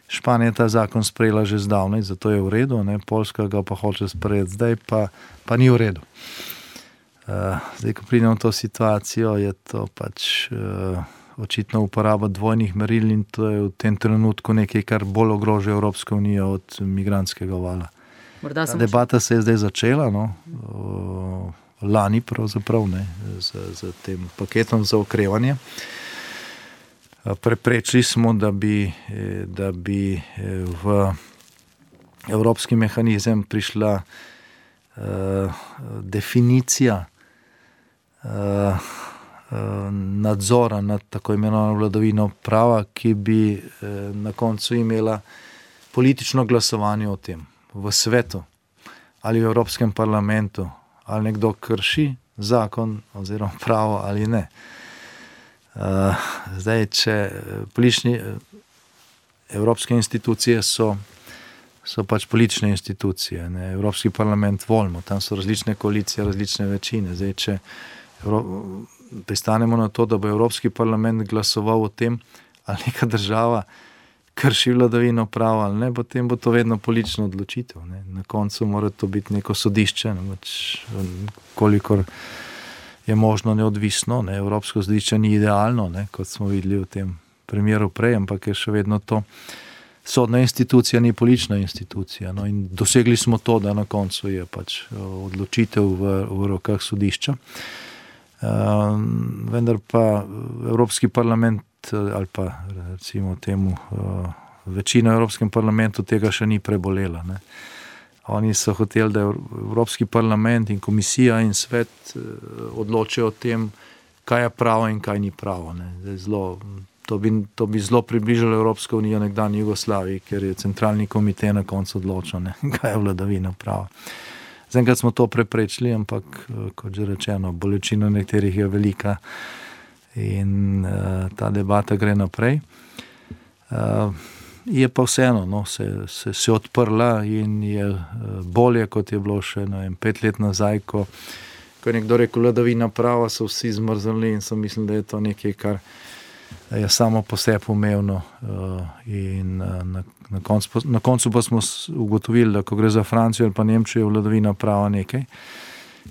Španija ta zakon sprejela že zdavnaj, zato je v redu, ne, Poljska ga pa hoče sprejeti zdaj, pa ni v redu. Zdaj, ko pridemo v to situacijo, je to pač očitno uporaba dvojnih meril in to je v tem trenutku nekaj, kar bolj ogroža Evropsko unijo od migrantskega vala. Debata se je zdaj začela, no, lani pravzaprav, ne, z tem paketom za okrevanje. Preprečili smo, da bi v evropski mehanizem prišla definicija nadzora nad tako imenovano vladavino prava, ki bi na koncu imela politično glasovanje o tem v svetu ali v Evropskem parlamentu, ali nekdo krši zakon oziroma pravo ali ne. Zdaj, če politični evropske institucije so pač politične institucije, ne? Evropski parlament volimo, tam so različne koalicije, različne večine. Zdaj, če pristanemo na to, da bo Evropski parlament glasoval o tem, ali neka država krši vladavino prava ali ne, potem bo to vedno politična odločitev. Ne? Na koncu mora to biti neko sodišče, ne? Kolikor je možno neodvisno. Ne? Evropsko sodišče ni idealno, ne? Kot smo videli v tem primeru prej, ampak je še vedno to sodna institucija, ni politična institucija. No? In dosegli smo to, da na koncu je pač odločitev v rokah sodišča. Vendar pa Evropski parlament ali pa recimo temu večina v Evropskem parlamentu tega še ni prebolela. Ne. Oni so hoteli, da Evropski parlament in komisija in svet odločijo o tem, kaj je pravo in kaj ni pravo. Ne. To bi zelo približalo Evropsko unijo nekdanji Jugoslaviji, ker je centralni komite na koncu odločil, ne, kaj je vladavina prava. Zaenkrat smo to preprečili, ampak kot že rečeno, bolečina nekaterih je velika in ta debata gre naprej. Je pa vseeno, no, se odprla in je bolje, kot je bilo še 5 let nazaj, ko je nekdo rekel, vladavina prava, so vsi zmrznili in so mislili, da je to nekaj, kar je samo po sebi umevno. In na koncu pa smo ugotovili, da ko gre za Francijo ali pa Nemčijo, je vladavina prava nekaj,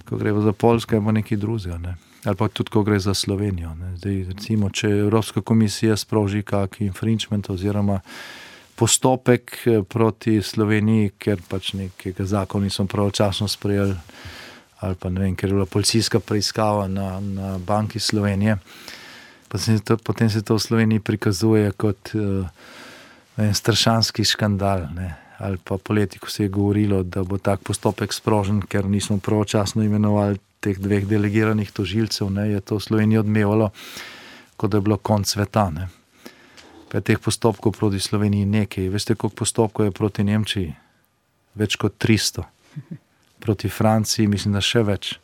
ko gre za Poljsko, je pa nekaj drugega, ne. Ali pa tudi, ko gre za Slovenijo. Ne. Zdaj, recimo, če Evropska komisija sproži kak infringement oziroma postopek proti Sloveniji, ker pač nekega zakona niso pravočasno sprejeli, ali pa ne vem, ker je bila policijska preiskava na Banki Slovenije, potem se to v Sloveniji prikazuje kot strašanski škandal, ne. Ali pa poleti, ko se je govorilo, da bo tak postopek sprožen, ker nismo pravočasno imenovali teh 2 delegiranih tožilcev, ne, je to v Sloveniji odmevalo, kot da je bilo konc sveta. Ne. Pa je teh postopkov proti Sloveniji nekaj. Veste, koliko postopkov je proti Nemčiji? Več kot 300. Proti Franciji mislim, da še več.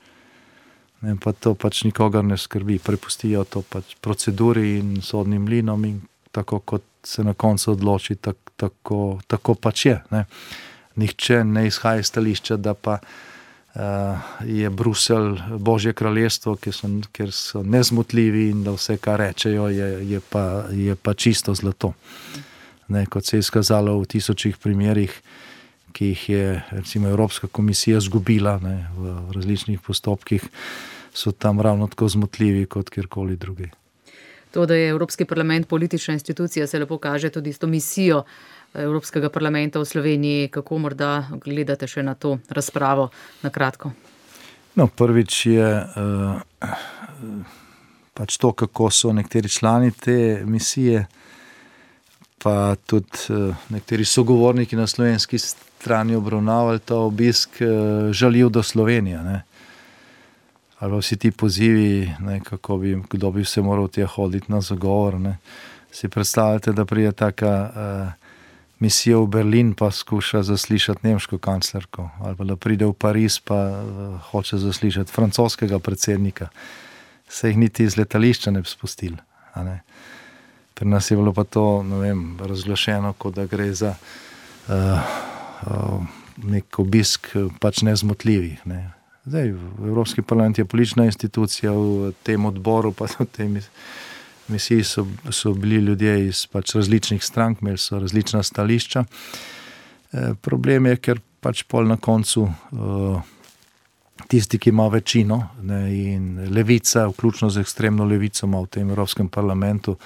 Ne, pa to pač nikogar ne skrbi. Prepustijo to pač proceduri in sodnim mlinom in tako, kot se na koncu odloči, tako pač je. Ne. Nihče ne izhaja iz stališča, da pa je Bruselj Božje kraljestvo, ker so nezmotljivi in da vse, kar rečejo, je pa čisto zlato. Ne, kot se je izkazalo v 1000 primerih, ki jih je recimo Evropska komisija zgubila, ne, v različnih postopkih, so tam ravno tako zmotljivi kot kjerkoli drugi. To, da je Evropski parlament politična institucija, se lepo kaže tudi s to misijo Evropskega parlamenta v Sloveniji. Kako morda gledate še na to razpravo na kratko? No, prvič je pač to, kako so nekateri člani te misije, pa tudi nekateri sogovorniki na slovenski strani obravnavali ta obisk žaljiv do Slovenije. Ne. Ali vsi ti pozivi, ne, kdo bi se moral tja hoditi na zagovor. Ne. Si predstavljate, da pride taka misija v Berlin pa skuša zaslišati nemško kanclerko, ali pa da pride v Pariz pa hoče zaslišati francoskega predsednika. Se jih niti iz letališča ne bi spustili. Ne. Pri nas je bilo pa to, ne vem, razglašeno, kot da gre za nek obisk pač nezmotljivih. Ne. Zdaj, Evropski parlament je politična institucija, v tem odboru pa v tej misiji so bili ljudje iz pač različnih strank, imeli so različna stališča. Problem je, ker pač pol na koncu tisti, ki ima večino, ne, in levica, vključno z ekstremno levico, ima v tem Evropskem parlamentu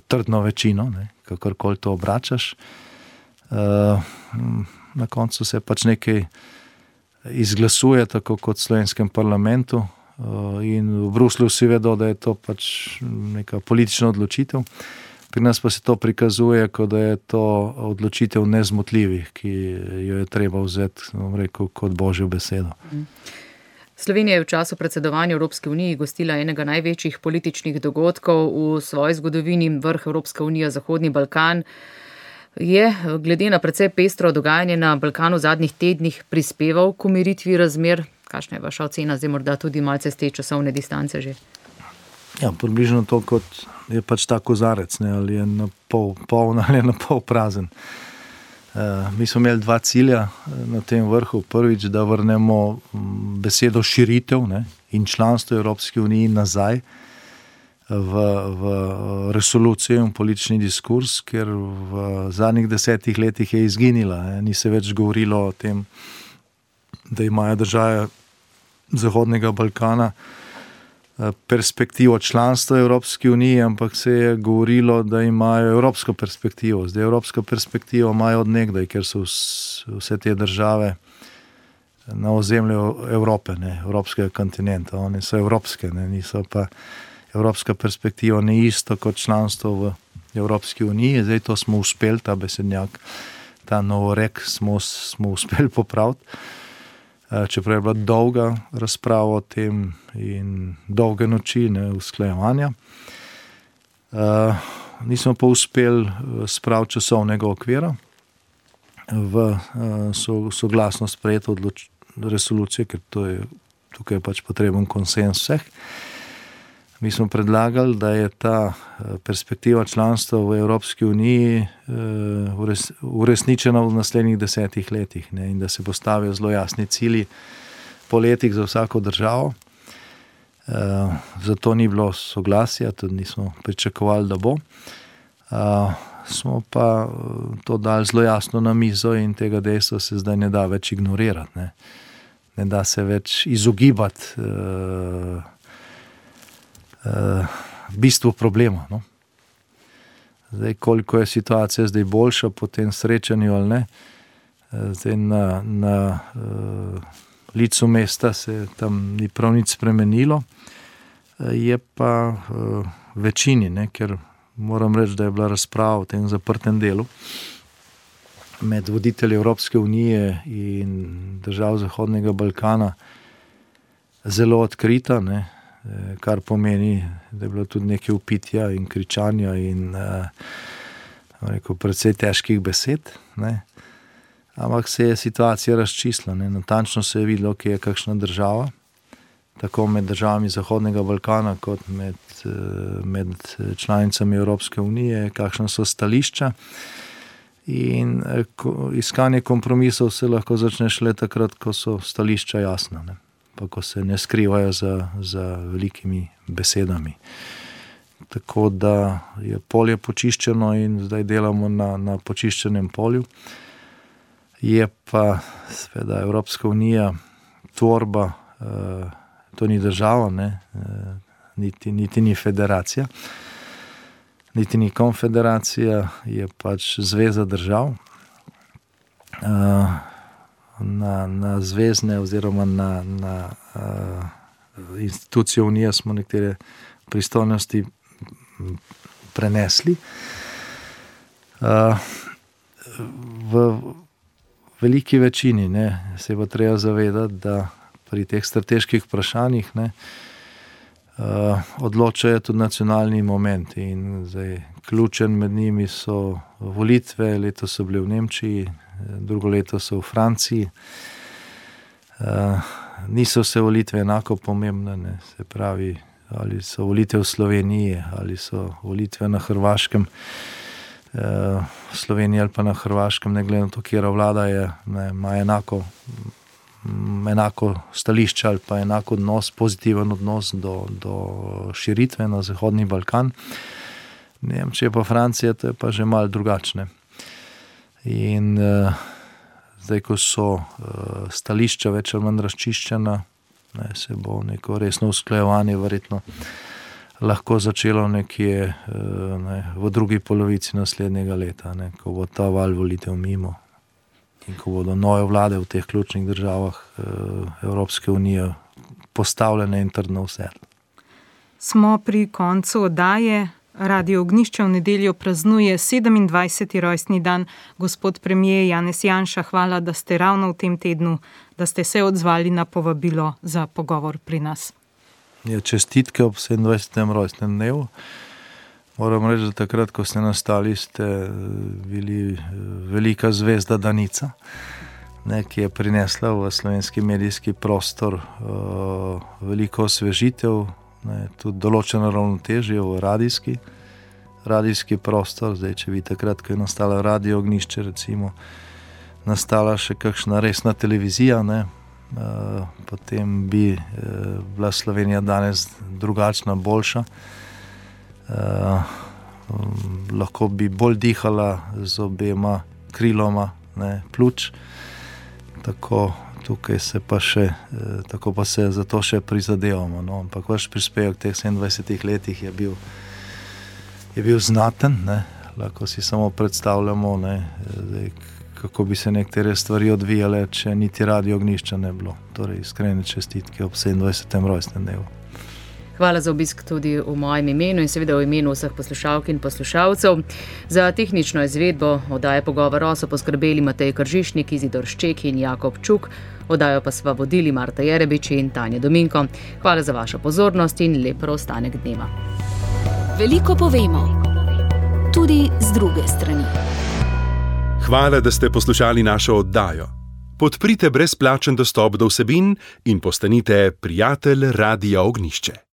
trdno večino, ne, kakorkoli to obračaš. Na koncu se pač nekaj izglasuje, tako kot v slovenskem parlamentu, in v Bruslju vsi vedo, da je to pač neka politična odločitev. Pri nas pa se to prikazuje, kot da je to odločitev nezmotljivih, ki jo je treba vzeti, rekel, kot Božjo besedo. Slovenija je v času predsedovanja Evropske unije gostila enega največjih političnih dogodkov v svoji zgodovini, vrh Evropska unija Zahodni Balkan. Je, glede na precej pestro dogajanje na Balkanu v zadnjih tednih, prispeval k umiritvi razmer? Kakšna je vaša ocena, zdaj morda tudi malce z te časovne distance že? Ja, približno to, kot je pač ta kozarec, ne, ali je na pol poln ali je na pol prazen. Mi smo imeli 2 cilja na tem vrhu. Prvič, da vrnemo besedo širitev, ne, in članstvo Evropske unije nazaj v resolucijo in politični diskurs, ker v zadnjih 10 letih je izginila. Ni se več govorilo o tem, da imajo države Zahodnega Balkana perspektivo članstva Evropske unije, ampak se je govorilo, da imajo evropsko perspektivo. Zdaj evropsko perspektivo imajo od nekdaj, ker so vse te države na ozemlju Evrope, ne, evropskega kontinenta. One so evropske, ne, niso pa evropska perspektiva ni isto kot članstvo v Evropski uniji. Zdaj to smo uspeli, ta besednjak, ta novorek smo uspeli popraviti. Čeprav je bila dolga razprava o tem in dolge noči, ne, usklajevanja. Nismo pa uspeli spraviti časovnega okvira v soglasno sprejeto resolucijo, ker tukaj je pač potreben konsens vseh. Mi smo predlagali, da je ta perspektiva članstva v Evropski uniji uresničena v naslednjih 10 letih, ne, in da se postavijo zelo jasni cilji po letih za vsako državo. Zato ni bilo soglasja, tudi nismo pričakovali, da bo. Smo pa to dali zelo jasno na mizo in tega dejstva se zdaj ne da več ignorirati. Ne da se več izogibati bistvu problema. No. Zdaj, koliko je situacija zdaj boljša po tem srečanju ali ne, zdaj na licu mesta se tam ni prav nič spremenilo, je pa večini, ne, ker moram reči, da je bila razprava v tem zaprtem delu med voditelji Evropske unije in držav Zahodnega Balkana zelo odkrita, ne, kar pomeni, da je bilo tudi nekaj vpitja in kričanja in precej težkih besed. Ne. Ampak se je situacija razčistila. Ne. Natančno se je videlo, kje je kakšna država, tako med državami Zahodnega Balkana kot med članicami Evropske unije, kakšna so stališča. In iskanje kompromisov se lahko začne šele takrat, ko so stališča jasna, ne. Pa ko se ne skrivajo za velikimi besedami. Tako da je polje počiščeno in zdaj delamo na počiščenem polju. Je pa seveda Evropska unija tvorba, to ni država, ne, niti ni federacija, niti ni konfederacija, je pač zveza držav. Na zvezne oziroma na institucijo unije smo nekatere pristojnosti prenesli. V veliki večini, ne, se bo treba zavedati, da pri teh strateških vprašanjih, ne, odločajo tudi nacionalni momenti in zdaj ključen med njimi so volitve. Letos so bile v Nemčiji, drugo leto so v Franciji. Niso vse volitve enako pomembne, ne, se pravi, ali so volitve v Sloveniji, ali so volitve na Hrvaškem, v Sloveniji ali pa na Hrvaškem, ne glede na to, kjera vlada je, ne, ima enako stališče ali pa enak odnos, pozitiven odnos do širitve na Zahodni Balkan. Nemčija pa Francija, to je pa že malo drugačne. In zdaj, ko so stališča več ali manj razčiščena, ne, se bo neko resno usklajevanje verjetno lahko začelo nekje v drugi polovici naslednjega leta, ne, ko bo ta val volitev mimo in ko bodo nove vlade v teh ključnih državah Evropske unije postavljene in trdno usedle. Smo pri koncu oddaje. Radio Ognjišče v nedeljo praznuje 27. rojstni dan. Gospod premier Janez Janša, hvala, da ste ravno v tem tednu, da ste se odzvali na povabilo za pogovor pri nas. Ja, čestitke ob 27. rojstnem dnevu. Moram reči, da takrat, ko ste nastali, ste bili velika zvezda Danica, ne, ki je prinesla v slovenski medijski prostor veliko osvežitev, ne, tudi določeno ravnotežje v radijski prostor. Zdaj, če bi takrat, ko je nastala Radio Ognjišče, recimo, nastala še kakšna resna televizija, ne, potem bi bila Slovenija danes drugačna, boljša. Lahko bi bolj dihala z obema kriloma, ne, pljuč. Tako tukaj se pa še, tako pa se za to še prizadevamo. No. Ampak vaš prispevek v teh 27 letih je bil znaten, ne. Lahko si samo predstavljamo, ne, zdaj, kako bi se nekatere stvari odvijale, če niti Radio Ognjišča ne bilo. Torej, iskrene čestitke ob 27. rojstnem dnevu. Hvala za obisk tudi v mojem imenu in seveda v imenu vseh poslušalk in poslušalcev. Za tehnično izvedbo oddaje Pogovor O so poskrbeli Matej Kržišnik, Izidor Šček in Jakob Čuk. Oddajo pa sva vodili Marta Jerebič in Tanja Dominko. Hvala za vašo pozornost in lep preostanek dneva. Veliko povemo, tudi z druge strani. Hvala, da ste poslušali našo oddajo. Podprite brezplačen dostop do vsebin in postanite prijatelj Radia Ognjišče.